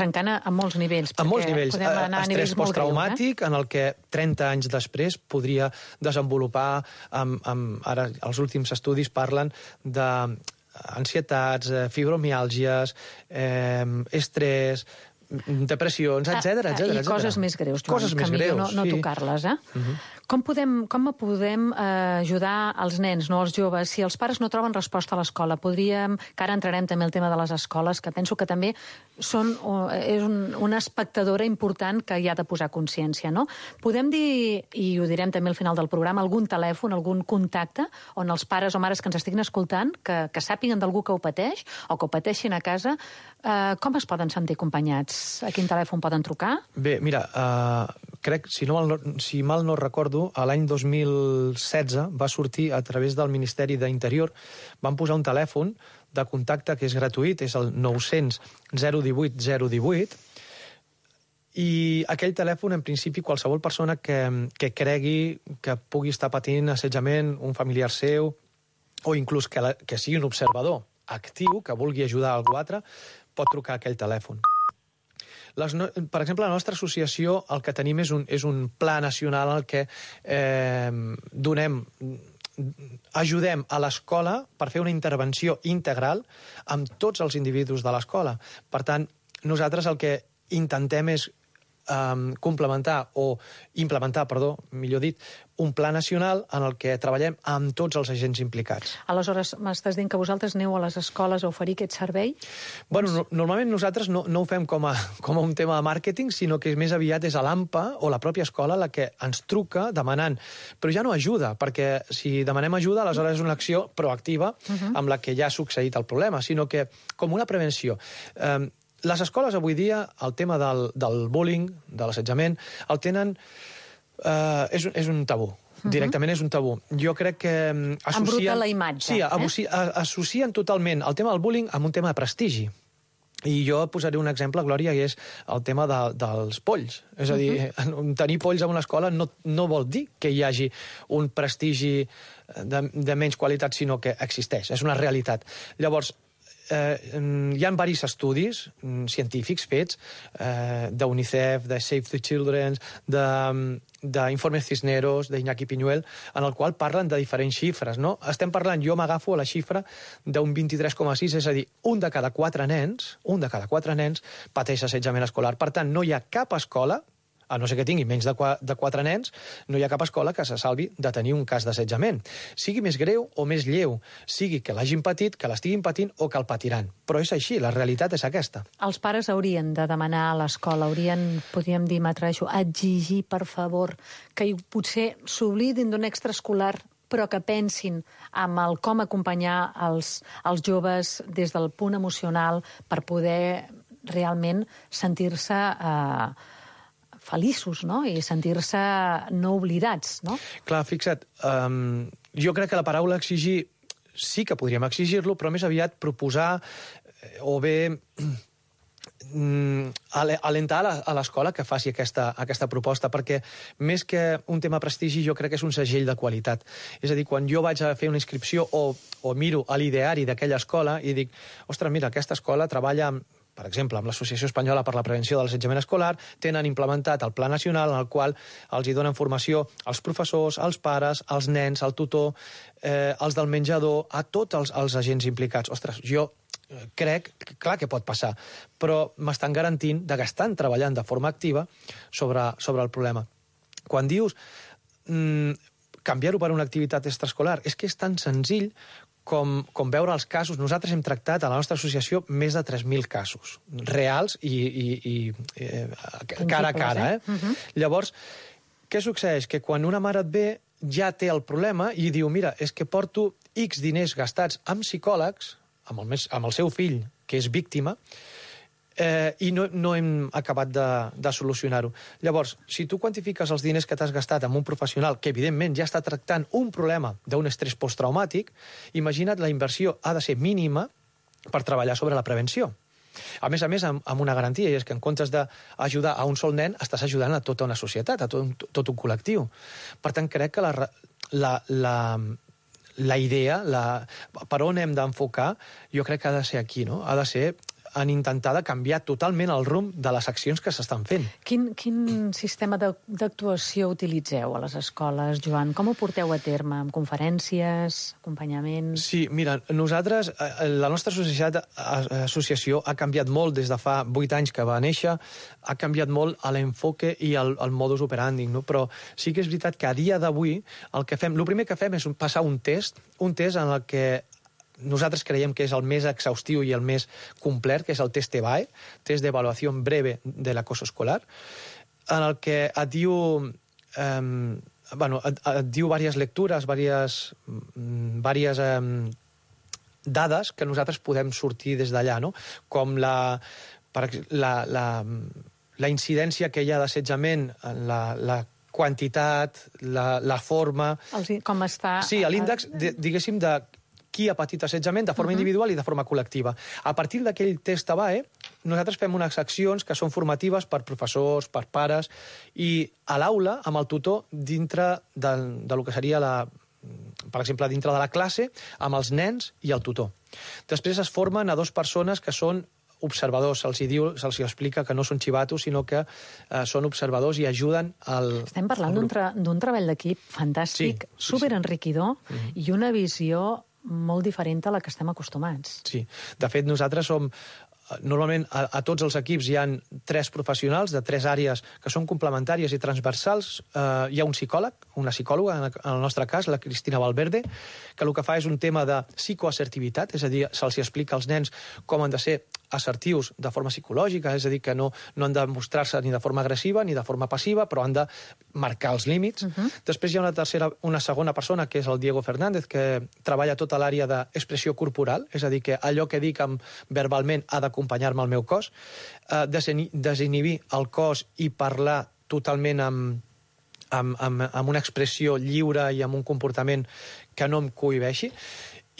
Trencant a molts nivells. A molts nivells. Podem anar a nivells estrès posttraumàtic, eh? En el que trenta anys després podria desenvolupar, amb, amb, ara els últims estudis parlen d'ansietats, fibromiàlgies, eh, estrès, depressions, etcètera, etcètera. I coses més greus, Joan, coses més que millor greus, no, no sí. tocar-les, eh? Uh-huh. Com podem, com podem eh, ajudar els nens, no els joves, si els pares no troben resposta a l'escola? Podríem, que ara entrarem també el tema de les escoles, que penso que també són, és un, una espectadora important que hi ha de posar consciència, no? Podem dir, i ho direm també al final del programa, algun telèfon, algun contacte, on els pares o mares que ens estiguin escoltant, que, que sàpiguen d'algú que ho pateix, o que ho pateixin a casa, eh, com es poden sentir acompanyats? A quin telèfon poden trucar? Bé, mira, uh, crec, si, no mal, si mal no recordo, a l'any dos mil setze va sortir a través del Ministeri d'Interior, van posar un telèfon de contacte que és gratuït, és el nou-cents zero divuit zero divuit, i aquell telèfon, en principi, qualsevol persona que, que cregui que pugui estar patint assetjament, un familiar seu, o inclús que, la, que sigui un observador actiu, que vulgui ajudar algú altre, pot trucar a aquell telèfon. Les no... Per exemple, la nostra associació el que tenim és un, és un pla nacional en el que eh, donem, ajudem a l'escola per fer una intervenció integral amb tots els individus de l'escola. Per tant, nosaltres el que intentem és Um, complementar o implementar, perdó, millor dit, un pla nacional en el que treballem amb tots els agents implicats. Aleshores, m'estàs dient que vosaltres aneu a les escoles a oferir aquest servei? Bueno, no, normalment nosaltres no, no ho fem com a, com a un tema de màrqueting, sinó que més aviat és a l'A M P A o la pròpia escola la que ens truca demanant, però ja no ajuda, perquè si demanem ajuda, aleshores és una acció proactiva uh-huh. amb la que ja ha succeït el problema, sinó que com una prevenció. Um, Les escoles avui dia, el tema del, del bullying, de l'assetjament, el tenen... Eh, és, és un tabú. Uh-huh. Directament és un tabú. Jo crec que associen... Embruta la imatge. Sí, eh? associen totalment el tema del bullying amb un tema de prestigi. I jo posaré un exemple, Glòria, i és el tema de, dels polls. És a dir, uh-huh. tenir polls en una escola no, no vol dir que hi hagi un prestigi de, de menys qualitat, sinó que existeix. És una realitat. Llavors, Eh, hi ha diversos estudis científics fets eh, d'UNICEF, de Save the Children, d'Informes Cisneros, d'Iñaki Piñuel, en el qual parlen de diferents xifres, no? Estem parlant, jo m'agafo a la xifra d'un vint-i-tres coma sis, és a dir, un de cada quatre nens, un de cada quatre nens pateix assetjament escolar. Per tant, no hi ha cap escola, a no ser que tingui menys de, qua, de quatre nens, no hi ha cap escola que se salvi de tenir un cas d'assetjament. Sigui més greu o més lleu, sigui que l'hagin patit, que l'estiguin patint o que el patiran. Però és així, la realitat és aquesta. Els pares haurien de demanar a l'escola, haurien, podríem dir, m'atreixo, exigir, per favor, que potser s'oblidin d'un extraescolar però que pensin en el com acompanyar els, els joves des del punt emocional per poder realment sentir-se eh, feliços, no? I sentir-se no oblidats, no? Clar, fixa't, um, jo crec que la paraula exigir sí que podríem exigir-lo, però més aviat proposar o bé alentar a l'escola que faci aquesta, aquesta proposta, perquè més que un tema prestigi jo crec que és un segell de qualitat. És a dir, quan jo vaig a fer una inscripció o, o miro a l'ideari d'aquella escola i dic, ostres, mira, aquesta escola treballa amb per exemple, amb l'Associació Espanyola per la Prevenció de l'Assetjament Escolar, tenen implementat el Pla Nacional en el qual els hi donen formació als professors, als pares, als nens, al tutor, eh, als del menjador, a tots els, els agents implicats. Ostres, jo crec, clar que pot passar, però m'estan garantint de que estan treballant de forma activa sobre, sobre el problema. Quan dius mmm, canviar-ho per una activitat extraescolar, és que és tan senzill Com, com veure els casos. Nosaltres hem tractat a la nostra associació més de tres mil casos, reals i, i, i eh, cara a cara. Eh? Uh-huh. Llavors, què succeeix? Que quan una mare et ve ja té el problema i diu, mira, és que porto X diners gastats amb psicòlegs, amb el, amb el seu fill, que és víctima, eh, i no, no hem acabat de, de solucionar-ho. Llavors, si tu quantifiques els diners que t'has gastat amb un professional que, evidentment, ja està tractant un problema d'un estrès posttraumàtic, imagina't, la inversió ha de ser mínima per treballar sobre la prevenció. A més a més, amb, amb una garantia, i és que en comptes d'ajudar a un sol nen, estàs ajudant a tota una societat, a tot, tot un col·lectiu. Per tant, crec que la, la, la, la idea, la, per on hem d'enfocar, jo crec que ha de ser aquí, no? Ha de ser en intentar de canviar totalment el rumb de les accions que s'estan fent. Quin, quin sistema d'actuació utilitzeu a les escoles, Joan? Com ho porteu a terme? Amb conferències, acompanyament? Sí, mira, nosaltres, la nostra associació, associació ha canviat molt des de fa vuit anys que va néixer, ha canviat molt a l'enfoque i al, al modus operandi, no? Però sí que és veritat que a dia d'avui el que fem, el primer que fem és passar un test, un test en el que nosaltres creiem que és el més exhaustiu i el més complet, que és el test E B A E, test d'avaluació breve de l'acoso escolar, en el que et diu, eh, bueno, et, et diu diverses lectures, diverses, diverses eh, dades que nosaltres podem sortir des d'allà, no? Com la, per, la, la, la incidència que hi ha d'assetjament, la, la quantitat, la, la forma... Els, com està... Sí, l'índex, diguéssim, de qui ha patit assetjament de forma uh-huh. individual i de forma col·lectiva. A partir d'aquell test E B A E, nosaltres fem unes accions que són formatives per professors, per pares, i a l'aula, amb el tutor, dintre de, de lo que seria la... per exemple, dintre de la classe, amb els nens i el tutor. Després es formen a dues persones que són observadors, se'ls diu, se'ls explica que no són xivatos, sinó que eh, són observadors i ajuden al... Estem parlant d'un tra treball d'equip fantàstic, sí, sí, superenriquidor, sí. Mm-hmm. I una visió molt diferent a la que estem acostumats. Sí, de fet nosaltres som... Normalment a, a tots els equips hi ha tres professionals de tres àrees que són complementàries i transversals. Eh, hi ha un psicòleg, una psicòloga, en el nostre cas, la Cristina Valverde, que el que fa és un tema de psicoassertivitat, és a dir, se'ls explica als nens com han de ser assertius de forma psicològica, és a dir, que no, no han de mostrar-se ni de forma agressiva ni de forma passiva, però han de marcar els límits. Uh-huh. Després hi ha una tercera, una segona persona, que és el Diego Fernández, que treballa tota l'àrea d'expressió corporal, és a dir, que allò que dic amb, verbalment ha d'acompanyar-me al meu cos, eh, desinhibir el cos i parlar totalment amb, amb, amb, amb una expressió lliure i amb un comportament que no em cohibeixi.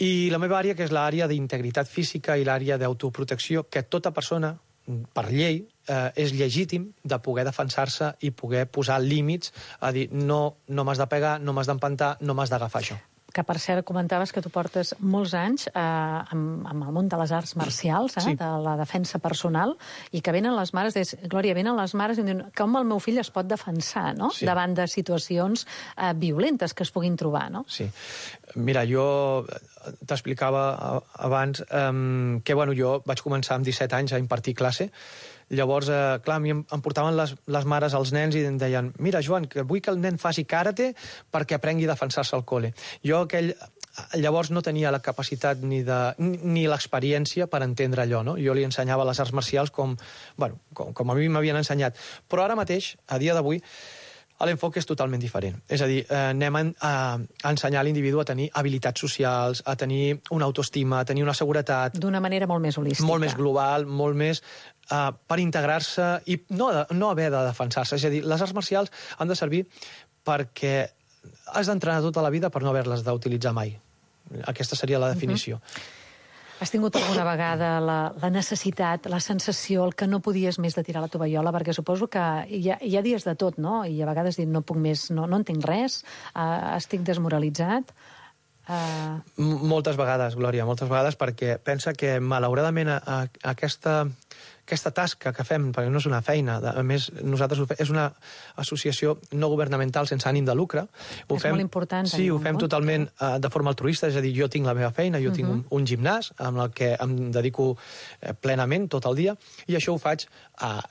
I la meva àrea, que és l'àrea d'integritat física i l'àrea d'autoprotecció, que tota persona, per llei, eh, és legítim de poder defensar-se i poder posar límits, a dir, no, no m'has de pegar, no m'has d'empantar, no m'has d'agafar això. Que, per cert, comentaves que tu portes molts anys eh, amb, amb el món de les arts marcials, eh, sí. de la defensa personal, i que venen les mares, des, Glòria, venen les mares i diuen com el meu fill es pot defensar, no? Sí. Davant de situacions eh, violentes que es puguin trobar, no? Sí. Mira, jo t'explicava abans um, que, bueno, jo vaig començar amb disset anys a impartir classe. Llavors, eh, clar, a mi em, em portaven les, les mares als nens i em deien mira, Joan, que vull que el nen faci karate perquè aprengui a defensar-se al col·le. Jo aquell, llavors no tenia la capacitat ni, de, ni, ni l'experiència per entendre allò, no? Jo li ensenyava les arts marcials com, bueno, com, com a mi m'havien ensenyat. Però ara mateix, a dia d'avui, l'enfoc és totalment diferent. És a dir, eh, anem a, a ensenyar a l'individu a tenir habilitats socials, a tenir una autoestima, a tenir una seguretat... D'una manera molt més holística. Molt més global, molt més... Uh, per integrar-se i no, no haver de defensar-se. És a dir, les arts marcials han de servir perquè has d'entrenar tota la vida per no haver-les d'utilitzar mai. Aquesta seria la definició. Uh-huh. Has tingut alguna vegada la, la necessitat, la sensació, el que no podies més de tirar la tovallola? Perquè suposo que hi ha, hi ha dies de tot, no? I a vegades dic, no puc més, no, no entenc res, uh, estic desmoralitzat... Uh... Moltes vegades, Glòria, moltes vegades, perquè pensa que, malauradament, a, a aquesta, aquesta tasca que fem, perquè no és una feina, a més, nosaltres ho fem, és una associació no governamental sense ànim de lucre. Ho és fem, molt important. Sí, ho fem totalment uh, de forma altruista, és a dir, jo tinc la meva feina, jo uh-huh. tinc un, un gimnàs amb el que em dedico eh, plenament tot el dia, i això ho faig a... Uh,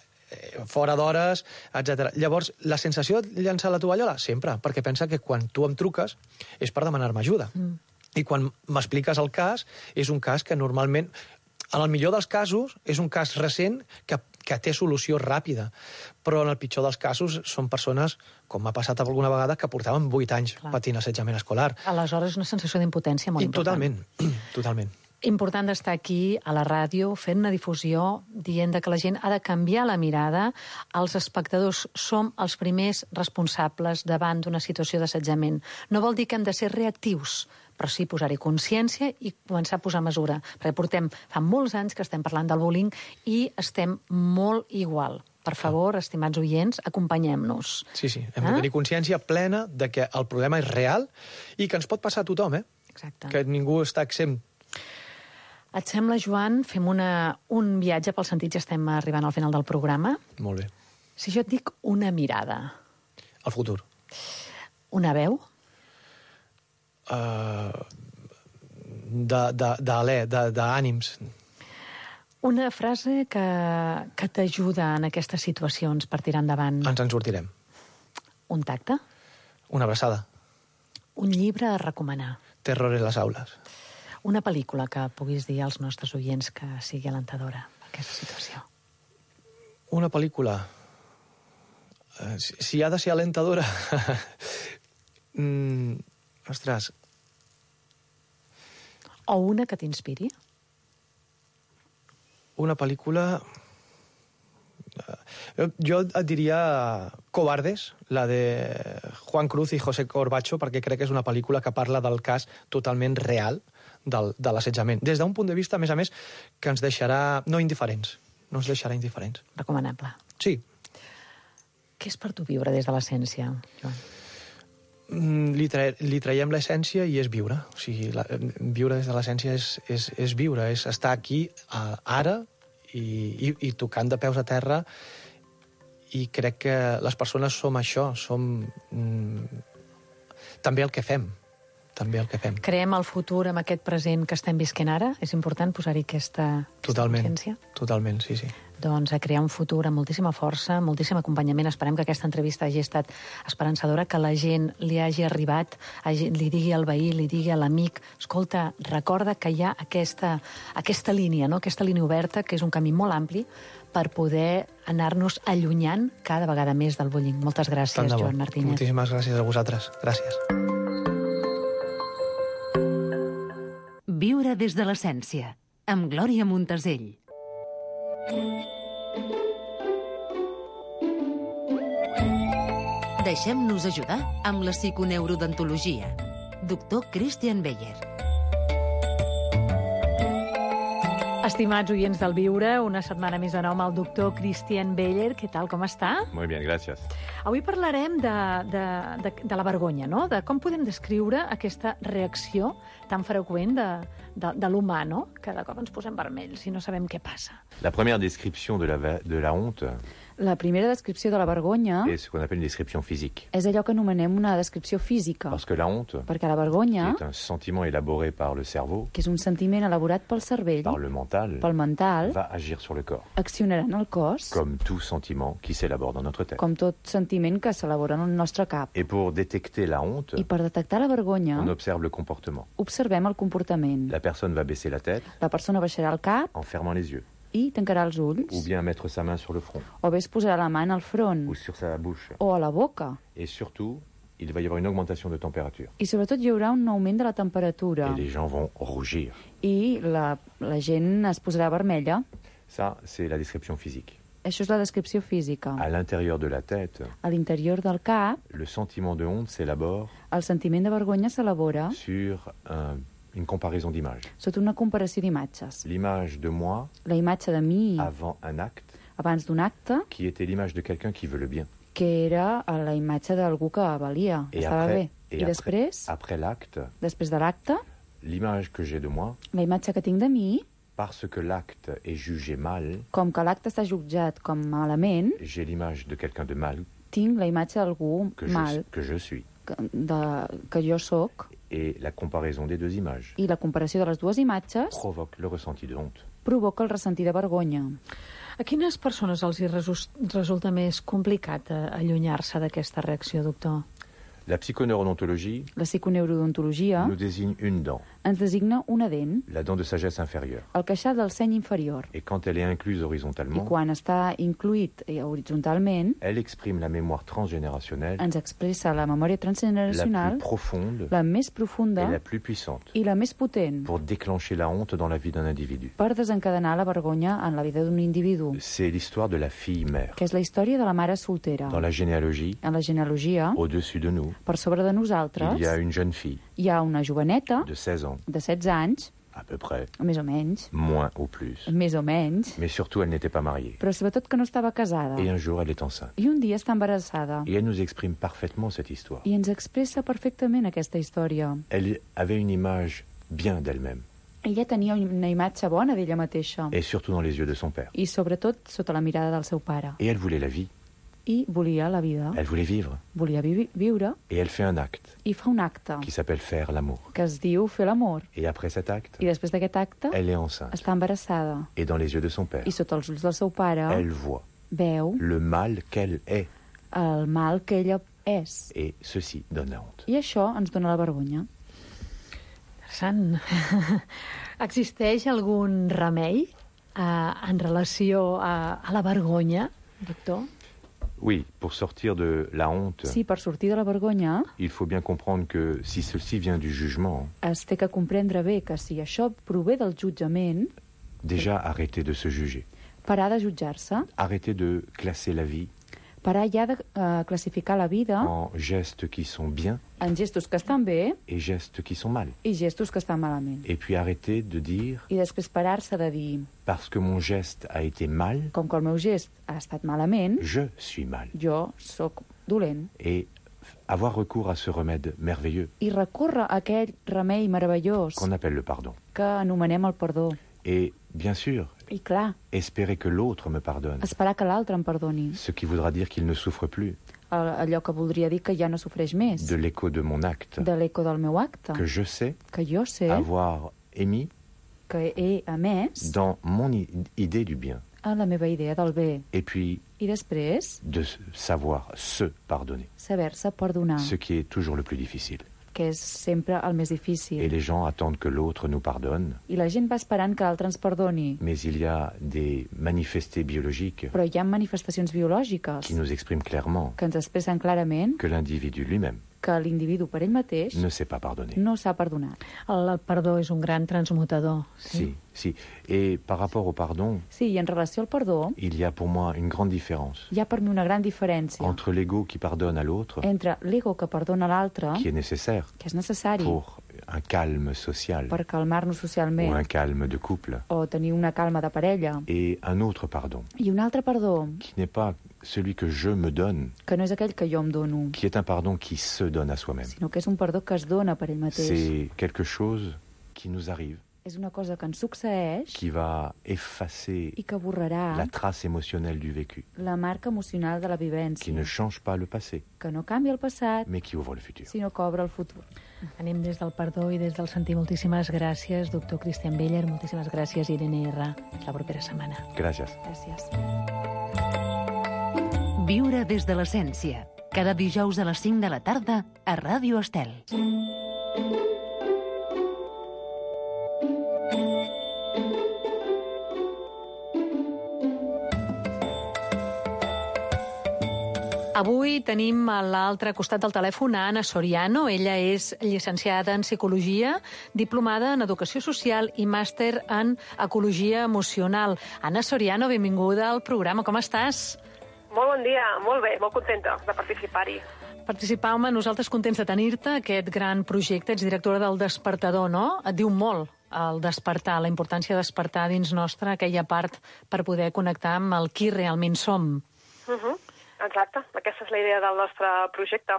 fora d'hores, etcètera. Llavors, la sensació de llançar la tovallola? Sempre, perquè pensa que quan tu em truques és per demanar-me ajuda. Mm. I quan m'expliques el cas, és un cas que normalment, en el millor dels casos, és un cas recent que, que té solució ràpida. Però en el pitjor dels casos són persones, com m'ha passat alguna vegada, que portaven vuit anys Clar. patint assetjament escolar. Aleshores, una sensació d'impotència molt I important. Totalment, totalment. Important d'estar aquí, a la ràdio, fent una difusió, dient que la gent ha de canviar la mirada. Els espectadors som els primers responsables davant d'una situació d'assetjament. No vol dir que hem de ser reactius, però sí posar-hi consciència i començar a posar mesura. Perquè portem fa molts anys que estem parlant del bullying i estem molt igual. Per favor, estimats oients, acompanyem-nos. Sí, sí, hem de tenir consciència plena de que el problema és real i que ens pot passar a tothom, eh? Exacte. Que ningú està exempt. Et sembla, Joan, fem una, un viatge pels sentits, ja estem arribant al final del programa. Molt bé. Si jo et dic una mirada... El futur. Una veu? Uh, d'alè, d'ànims. Una frase que, que t'ajuda en aquestes situacions per tirar endavant. Ens en sortirem. Un tacte? Una abraçada. Un llibre a recomanar. Terror en les aules. Una pel·lícula que puguis dir als nostres oients que sigui alentadora, aquesta situació. Una pel·lícula... Uh, si, si ha de ser alentadora... mm, ostres... O una que t'inspiri? Una pel·lícula... Jo, jo et diria Cobardes, la de Juan Cruz i José Corbacho, perquè crec que és una pel·lícula que parla del cas totalment real del, de l'assetjament. Des d'un punt de vista, a més a més, que ens deixarà no indiferents. No ens deixarà indiferents. Recomanable. Sí. Què és per tu viure des de l'essència, Joan? Mm, li, tra li traiem l'essència i és viure. O sigui, la, viure des de l'essència és, és, és viure, és estar aquí, uh, ara, i, i, i tocant de peus a terra, i crec que les persones som això, som mm, també el que fem, també el que fem. Creem el futur amb aquest present que estem visquent ara? És important posar-hi aquesta, aquesta consciència? Totalment, sí, sí. Doncs a crear un futur amb moltíssima força, moltíssim acompanyament. Esperem que aquesta entrevista hagi estat esperançadora, que la gent li hagi arribat, hagi, li digui al veí, li digui a l'amic, escolta, recorda que hi ha aquesta, aquesta línia, no? Aquesta línia oberta, que és un camí molt ampli, per poder anar-nos allunyant cada vegada més del bullying. Moltes gràcies, Joan Martínez. Moltíssimes gràcies a vosaltres. Gràcies. Viure des de l'essència, amb Glòria Montesell. Deixem-nos ajudar amb la psiconeurodontologia. Doctor Christian Beyer. Estimats oients del Viure, una setmana més de nou amb el doctor Christian Beyer. Què tal, com està? Muy bien, gracias. Avui parlarem de, de, de, de la vergonya, no? De com podem descriure aquesta reacció tan freqüent de, de, de l'humà, no? Que de cop ens posem vermells i no sabem què passa. La première description de la, de la honte La primera descripció de la vergonya est ce qu'on appelle une description physique. és allò que anomenem una descripció física. Parce que la honte, Perquè la vergonya, qui est un sentiment élaboré par le cerveau, que és un sentiment elaborat pel cervell, par le mental, pel mental, va agir sur le corps, accionarà en el cos, comme tout sentiment qui s'élabore dans notre tête. com tot sentiment que s'elabora en el nostre cap. Et pour détecter la honte, I per detectar la vergonya, on observe le comportement. observem el comportament. La personne va baisser la tête La persona baixarà el cap en fermant les yeux, i tancarà els ulls, ou bien mettre sa main sur le front, o bé es posarà la mà al front ou sur sa bouche. o a la boca. Et surtout, il va y avoir une augmentation de température. I sobretot hi haurà un augment de la temperatura Et les gens vont rougir. i la, la gent es posarà vermella. Ça, c'est la description physique. Això és la descripció física. À l'intérieur de la tête, A l'interior del cap, le sentiment de honte s'élabore el sentiment de vergonya s'elabora sur un- une comparaison d'images. sota una comparació d'imatges. L'image de moi La imatge de mi avant un acte, abans d'un acte, qui était l'image de quelqu'un qui veut le bien. que era la imatge d'algú que valia, Et estava après, bé. et I après, després, après l'acte, després de l'acte, l'image que j'ai de moi, la imatge que tinc de mi, parce que l'acte est jugé mal, com que l'acte està jutjat com malament, j'ai l'image de quelqu'un de mal tinc la imatge d'algú que je, mal que je suis. que, de, que jo sóc, Et la comparaison des deux images i la comparació de les dues imatges provoque le ressenti de honte. provoca el ressentir de vergonya. A quines persones els hi resus- resulta més complicat eh, allunyar-se d'aquesta reacció, doctor? La psychoneurodontologie La psiconeurodontologia nous désigne une dent, ens designa una dent, la dent de sagesse inférieure. el queixal del seny inferior, Et quand elle est incluse i horizontalement, quan està incluït eh, horitzontalment, elle exprime la mémoire transgénérationnelle ens expressa la memòria la plus transgeneracional, profonde la més et profunda la plus puissante i la més potent, pour déclencher la honte dans la vie d'un individu. per desencadenar la vergonya en la vida d'un individu, C'est l'histoire de la fille-mère. que és la història de la mare soltera. Dans la généalogie, En la genealogia, au-dessus de nous, per sobre de nosaltres, il y a une jeune fille hi ha una joveneta de seize ans, de setze anys, à peu près, més o menys, moins ou plus. més o menys, Mais surtout, elle n'était pas mariée. però sobretot que no estava casada. Et un jour, elle est enceinte. I un dia està embarassada. Et elle nous exprime parfaitement cette histoire. I ens expressa perfectament aquesta història. Elle avait une image bien d'elle-même. Ella tenia una imatge bona d'ella mateixa. Et surtout dans les yeux de son père. I sobretot sota la mirada del seu pare. Et elle voulait la vie. I volia la vida. Elle voulait vivre. Volia vi viure. Et elle fait un acte. I fa un acte. Qui s'appelle faire l'amour. Que es diu fer l'amor. Et après cet acte. I després d'aquest acte. Elle est enceinte. Està embarassada. Et dans les yeux de son père. I sota els ulls del seu pare. Elle voit. Veu. Le mal qu'elle est. El mal que ella és. Et ceci donne la honte. I això ens dona la vergonya. Interessant. Existeix algun remei eh, en relació a, a la vergonya, doctor? Oui, pour sortir de la honte, sí, per sortir de la vergonya, il faut bien comprendre que si ceci vient du jugement, es té que comprendre bé que si això prové del jutjament, déjà arrêter de se juger. Parar de jutjar-se. Arrêter de classer la vie. Parar ja de uh, classificar la vida en gestes qui sont bien en gestos que estan bé et gestes qui sont mal. I gestos que estan malament. Et puis arrêter de dire I després parar-se de dir parce que mon geste a été mal, com que el meu gest ha estat malament, je suis mal. Jo sóc dolent. Et avoir recours à ce remède merveilleux I recórrer a aquell remei meravellós qu'on appelle le pardon. Que anomenem el perdó. Et bien sûr, I clar, espérer que l'autre me pardonne. Esperar que l'altre em perdoni. Ce qui voudra dire qu'il ne souffre plus. Allò que voldria dir que ja no sofreix més. De l'écho de mon acte. De l'écho del meu acte. Que je sais. Que jo sé. Avoir émis. Que he emès. Dans mon idée du bien. A la meva idea del bé. Et puis. I després. De savoir se pardonner. Saber-se perdonar. Ce qui est toujours le plus difficile. Que és sempre el més difícil. Et les gens attendent que l'autre nous pardonne. I la gent va esperant que l'altre ens perdoni. Mais il y a des manifestés biologiques. Però hi ha manifestacions biològiques. Qui nous expriment clairement. Que ens expressen clarament. Que l'individu lui-même. Que l'individu per ell mateix. Ne sait pas pardonner. No s'ha perdonat. El, el perdó és un gran transmutador. Sí, sí. si. Et par rapport au pardon. Sí, i en relació al perdó. Il y a pour moi une grande différence. Hi ha per mi una gran diferència. Entre l'ego qui pardonne à l'autre. Entre l'ego que perdona a l'altre. Qui est nécessaire. Que és necessari. Pour un calme social. Per calmar-nos socialment. Ou un calme de couple. O tenir una calma de parella. Et un autre pardon. I un altre perdó. Qui n'est pas celui que je me donne. Que no és aquell que jo em dono. Qui est un pardon qui se donne à soi-même. Sinó que és un perdó que es dona per ell mateix. C'est quelque chose qui nous arrive. És una cosa que ens succeeix. Qui va effacer I que borrarà la trace émotionnelle du vécu. La marca emocional de la vivència. Qui ne change pas le passé. Que no canvia el passat. Mais qui ouvre le futur. Sinó que obre el futur. Anem des del perdó i des del sentir. Moltíssimes gràcies, doctor Cristian Beller. Moltíssimes gràcies, Irene R. Fins la propera setmana. Gràcies. Gràcies. Viure des de l'essència. Cada dijous a les cinc de la tarda a Ràdio Estel. Avui tenim a l'altre costat del telèfon a Anna Soriano. Ella és llicenciada en Psicologia, diplomada en Educació Social i màster en Ecologia Emocional. Anna Soriano, benvinguda al programa. Com estàs? Molt bon dia, molt bé, molt contenta de participar-hi. Participar, home, nosaltres contents de tenir-te, aquest gran projecte. Ets directora del Despertador, no? Et diu molt el despertar, la importància de despertar dins nostra aquella part per poder connectar amb el qui realment som. Uh -huh. Exacte, aquesta és la idea del nostre projecte.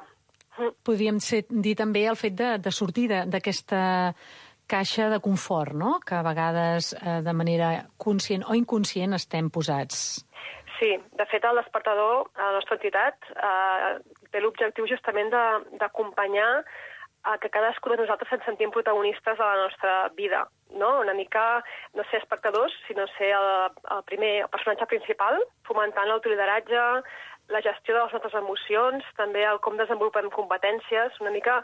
Uh. Podríem ser, dir també el fet de, de sortir d'aquesta caixa de confort, no?, que a vegades eh, de manera conscient o inconscient estem posats. Sí, de fet el Despertador, a la nostra entitat, eh, té l'objectiu justament d'acompanyar a que cadascú de nosaltres ens sentim protagonistes de la nostra vida, no? Una mica no ser espectadors, sinó ser el, el primer el personatge principal, fomentant l'autorideratge, la gestió de les nostres emocions, també el com desenvolupem competències. Una mica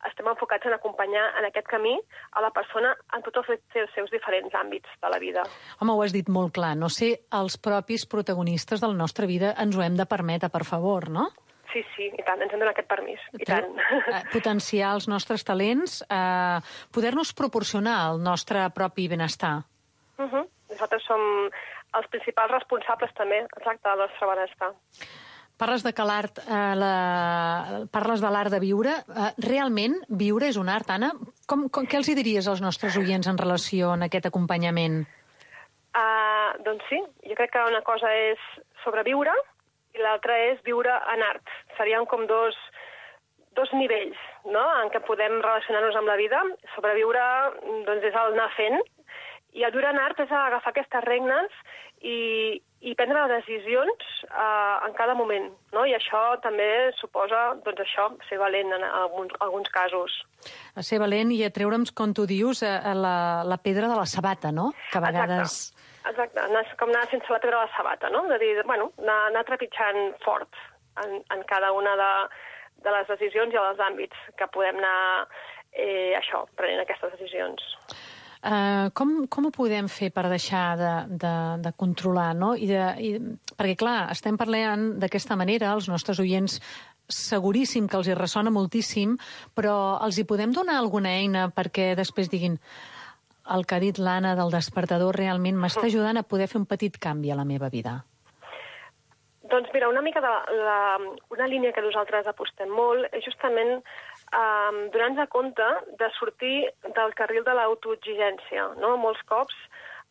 estem enfocats en acompanyar en aquest camí a la persona en tots els seus diferents àmbits de la vida. Home, ho has dit molt clar, no ser els propis protagonistes de la nostra vida, ens ho hem de permetre, per favor, no? Sí, sí, i tant, ens hem donat aquest permís, i tant. Potenciar els nostres talents, eh, poder-nos proporcionar el nostre propi benestar. Uh -huh. Nosaltres som els principals responsables també, exacte, del nostre benestar. Parles de que l'art, eh, la... parles de l'art de viure. Eh, realment, viure és un art, Anna? Com, com, què els hi diries als nostres oients en relació a aquest acompanyament? Uh, doncs sí, jo crec que una cosa és sobreviure i l'altra és viure en art. Serien com dos, dos nivells, no?, en què podem relacionar-nos amb la vida. Sobreviure, doncs, és el anar fent, i el viure en art és agafar aquestes regnes i, i prendre decisions uh, en cada moment, no? I això també suposa, doncs això, ser valent en alguns, alguns casos. A ser valent i a treure'ns, com tu dius, a, a la, la pedra de la sabata, no? Que a vegades... Exacte, exacte. Anar, com anar sense la pedra de la sabata, no? De dir, bueno, anar, anar trepitjant fort en, en cada una de, de les decisions i els àmbits que podem anar, eh, això, prenent aquestes decisions. Uh, com, com ho podem fer per deixar de, de, de controlar, no? I de, i, perquè, clar, estem parlant d'aquesta manera, els nostres oients seguríssim que els hi ressona moltíssim, però els hi podem donar alguna eina perquè després diguin el que ha dit l'Anna del despertador realment m'està ajudant a poder fer un petit canvi a la meva vida? Doncs mira, una mica de la, una línia que nosaltres apostem molt és justament um, donar-nos compte de sortir del carril de l'autoexigència, no? Molts cops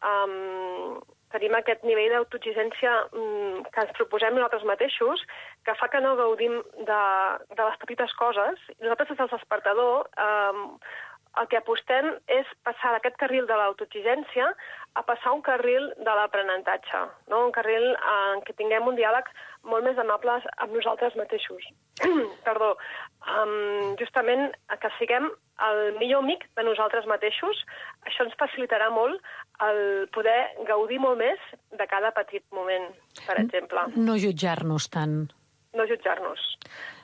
um, tenim aquest nivell d'autoexigència um, que ens proposem nosaltres mateixos, que fa que no gaudim de, de les petites coses. Nosaltres, des del despertador, um, el que apostem és passar d'aquest carril de l'autoexigència a passar un carril de l'aprenentatge, no? Un carril en què tinguem un diàleg molt més amable amb nosaltres mateixos. Perdó. Um, justament que siguem el millor amic de nosaltres mateixos, això ens facilitarà molt el poder gaudir molt més de cada petit moment, per exemple. No jutjar-nos tant. No jutjar-nos.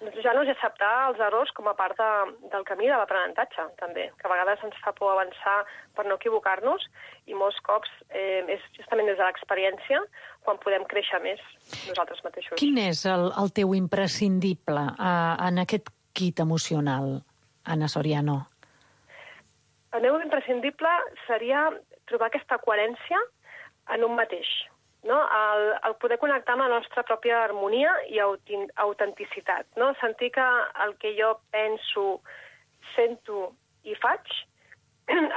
No jutjar-nos i acceptar els errors com a part de, del camí de l'aprenentatge, també, que a vegades ens fa por avançar per no equivocar-nos, i molts cops eh, és justament des de l'experiència quan podem créixer més nosaltres mateixos. Quin és el, el teu imprescindible eh, en aquest kit emocional, Anna Soriano? El meu imprescindible seria trobar aquesta coherència en un mateix. No? El, el poder connectar amb la nostra pròpia harmonia i autenticitat. No? Sentir que el que jo penso, sento i faig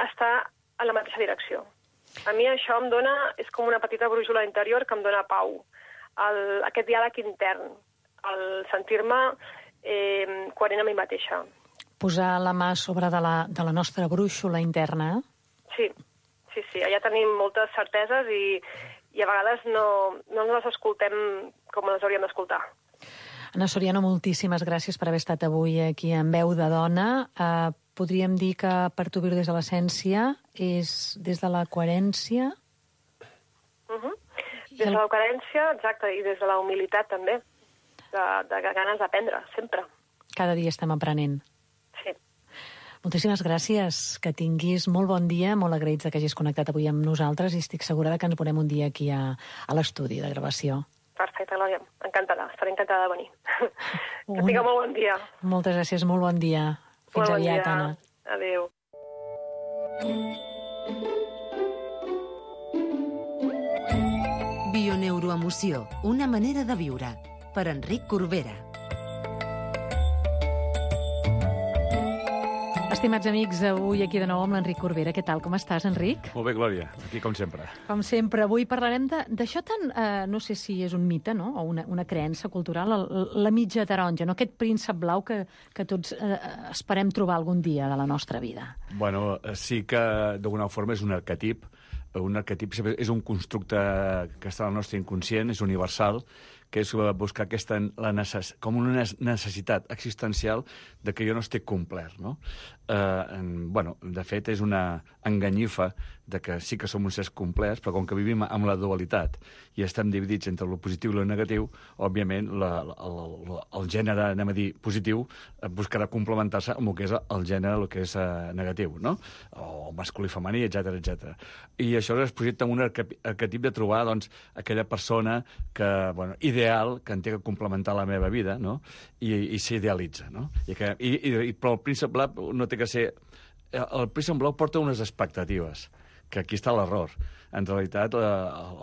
està en la mateixa direcció. A mi això em dona, és com una petita brújula interior que em dona pau. El, aquest diàleg intern, el sentir-me eh, coherent amb mi mateixa. Posar la mà sobre de la, de la nostra brúixola interna. Sí, sí, sí. Allà tenim moltes certeses i i a vegades no, no les escoltem com les hauríem d'escoltar. Anna Soriano, moltíssimes gràcies per haver estat avui aquí en Veu de Dona. Uh, podríem dir que per tu viure des de l'essència és des de la coherència? Uh -huh. Des de la coherència, exacte, i des de la humilitat també, de, de ganes d'aprendre, sempre. Cada dia estem aprenent. Sí. Moltíssimes gràcies, que tinguis molt bon dia, molt agraïts que hagis connectat avui amb nosaltres i estic segura que ens veurem un dia aquí a, a l'estudi de gravació. Perfecte, Glòria, encantada, estaré encantada de venir. Que tingueu molt bon dia. Moltes gràcies, molt bon dia. Fins molt aviat, bon dia. Anna. Adéu. Bioneuroemoció, una manera de viure. Per Enric Corbera. Estimats amics, avui aquí de nou amb l'Enric Corbera. Què tal? Com estàs, Enric? Molt bé, Glòria. Aquí, com sempre. Com sempre. Avui parlarem d'això tan... Eh, no sé si és un mite, no?, o una, una creença cultural, la, la mitja taronja, no?, aquest príncep blau que, que tots eh, esperem trobar algun dia de la nostra vida. Bueno, sí que d'alguna forma és un arquetip. Un arquetip és un constructe que està al nostre inconscient, és universal, que és buscar aquesta, la necess, com una necessitat existencial de que jo no estic complert, no? Eh, en, bueno, de fet, és una enganyifa de que sí que som uns éssers complets, però com que vivim amb la dualitat i estem dividits entre el positiu i el negatiu, òbviament la, la, el, el gènere, anem a dir, positiu, buscarà complementar-se amb el que és el gènere, el que és uh, negatiu, no? O masculí, femení, etcètera, etcètera. I això es projecta en un arquetip de trobar, doncs, aquella persona que, bueno, ideal, que en té que complementar la meva vida, no? I, i s'idealitza, no? I que, i, i, però el príncep blau no té que ser... El príncep blau porta unes expectatives, que aquí està l'error. en realitat, la,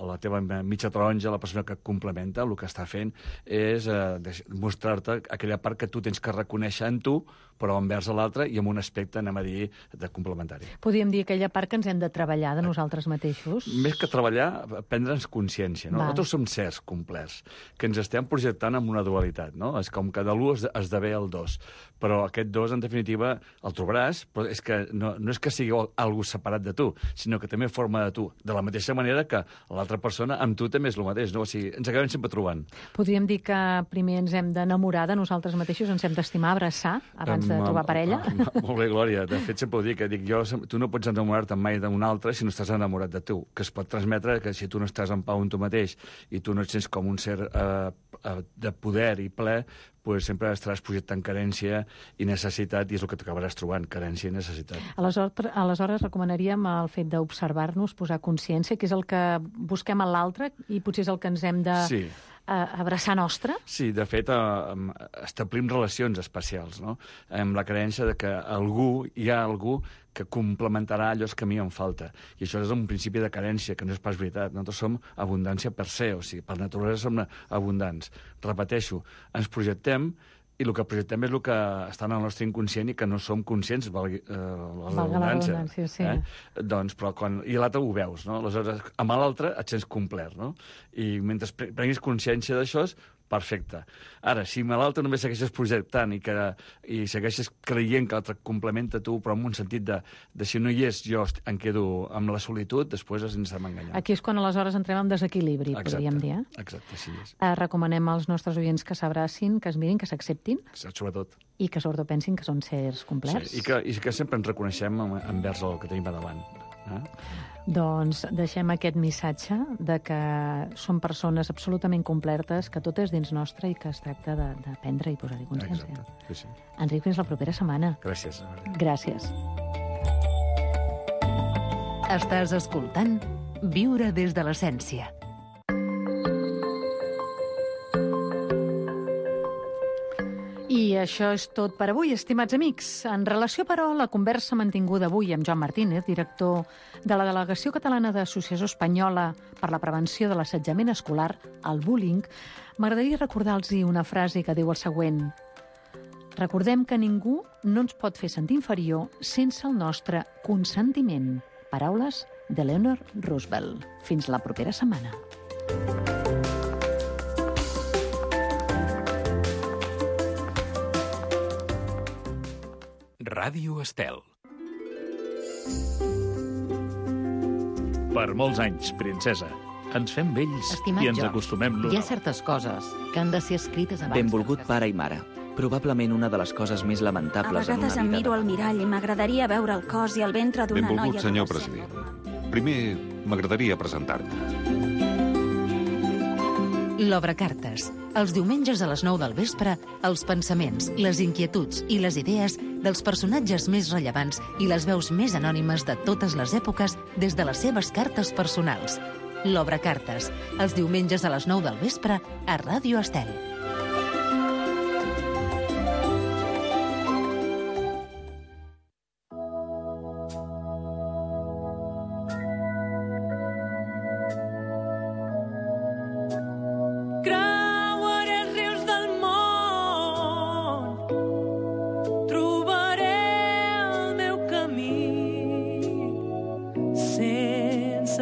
la teva mitja taronja, la persona que et complementa, el que està fent és eh, mostrar-te aquella part que tu tens que reconèixer en tu, però envers l'altre i amb un aspecte, anem a dir, de complementari. Podríem dir aquella part que ens hem de treballar de nosaltres mateixos. Més que treballar, prendre'ns consciència. No? Nosaltres som certs complets, que ens estem projectant en una dualitat. No? És com que de l'u esdevé el dos. Però aquest dos, en definitiva, el trobaràs, però és que no, no és que sigui algú separat de tu, sinó que també forma de tu. De la mateixa manera que l'altra persona amb tu també és el mateix. No? O sigui, ens acabem sempre trobant. Podríem dir que primer ens hem d'enamorar de nosaltres mateixos, ens hem d'estimar, abraçar, abans de trobar parella? Molt bé, Glòria. De fet, sempre ho dic, que dic jo, tu no pots enamorar-te mai d'un altre si no estàs enamorat de tu, que es pot transmetre que si tu no estàs en pau amb tu mateix i tu no et sents com un ser eh, de poder i ple, pues sempre estaràs projectant carència i necessitat, i és el que t'acabaràs trobant, carència i necessitat. Aleshores, aleshores recomanaríem el fet d'observar-nos, posar consciència, que és el que busquem a l'altre i potser és el que ens hem de... Sí. abraçar nostre? Sí, de fet, eh, establim relacions especials, no? Amb la creença de que algú, hi ha algú que complementarà allò que a mi em falta. I això és un principi de carència, que no és pas veritat. Nosaltres som abundància per se, o sigui, per naturalesa som abundants. Repeteixo, ens projectem i el que projectem és el que està en el nostre inconscient i que no som conscients, valgui eh, l'abundància. Sí. Eh? Doncs, però quan... I l'altre ho veus, no? Aleshores, amb l'altre et sents complet, no? I mentre prenguis consciència d'això, perfecte. Ara, si l'altre només segueixes projectant i, que, i segueixes creient que l'altre complementa tu, però en un sentit de, de si no hi és, jo em quedo amb la solitud, després ens estem enganyant. Aquí és quan aleshores entrem en desequilibri, exacte, podríem dir. Eh? Exacte, sí. És. Eh, recomanem als nostres oients que s'abracin, que es mirin, que s'acceptin. Sobretot. I que sobretot pensin que són sers complets. Sí, i, que, i que sempre ens reconeixem envers el que tenim a davant. Eh? Doncs deixem aquest missatge de que som persones absolutament completes, que tot és dins nostre i que es tracta d'aprendre i posar-hi consciència. Exacte, sí, sí. Enric, fins la propera setmana. Gràcies. Gràcies. Estàs escoltant Viure des de l'essència. I això és tot per avui, estimats amics. En relació, però, a la conversa mantinguda avui amb Joan Martínez, director de la Delegació Catalana d'Associació Espanyola per la Prevenció de l'Assetjament Escolar, el bullying, m'agradaria recordar-los una frase que diu el següent: recordem que ningú no ens pot fer sentir inferior sense el nostre consentiment. Paraules de Eleanor Roosevelt. Fins la propera setmana. Ràdio Estel. Per molts anys, princesa. Ens fem vells Estimat i ens George, acostumem l'un hi ha a l'altre. certes coses que han de ser escrites abans... Benvolgut pare i mare. Probablement una de les coses més A lamentables en vegades una em vida. miro al mirall i m'agradaria veure el cos i el ventre d'una noia... Benvolgut, senyor adolescent. president. Primer, m'agradaria presentar-me. L'Obre Cartes. Els diumenges a les nou del vespre, els pensaments, les inquietuds i les idees dels personatges més rellevants i les veus més anònimes de totes les èpoques des de les seves cartes personals. L'Obre Cartes. Els diumenges a les nou del vespre a Ràdio Estel.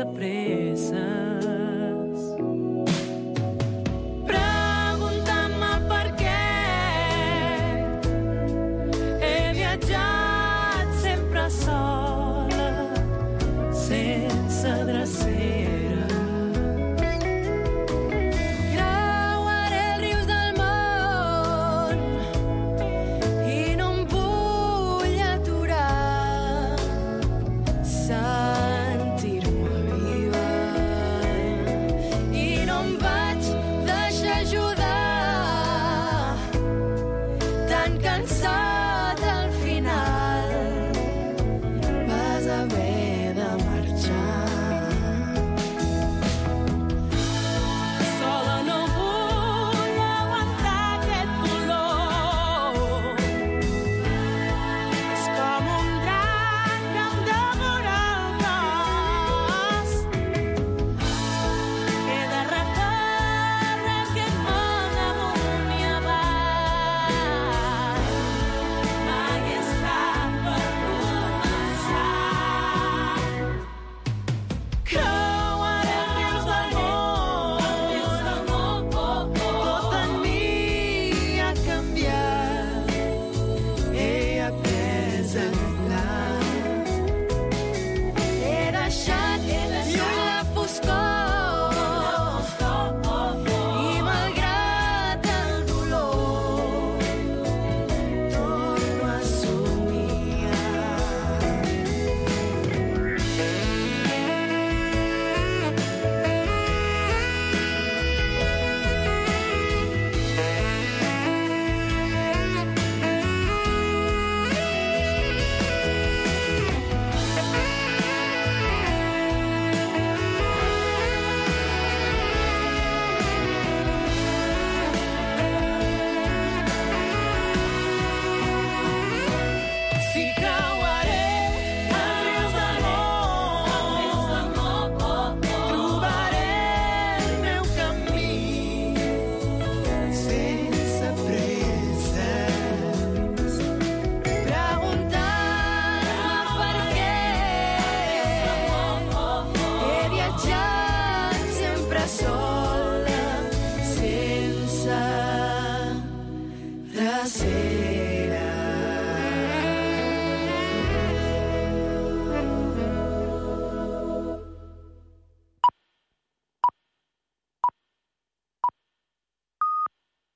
Pressa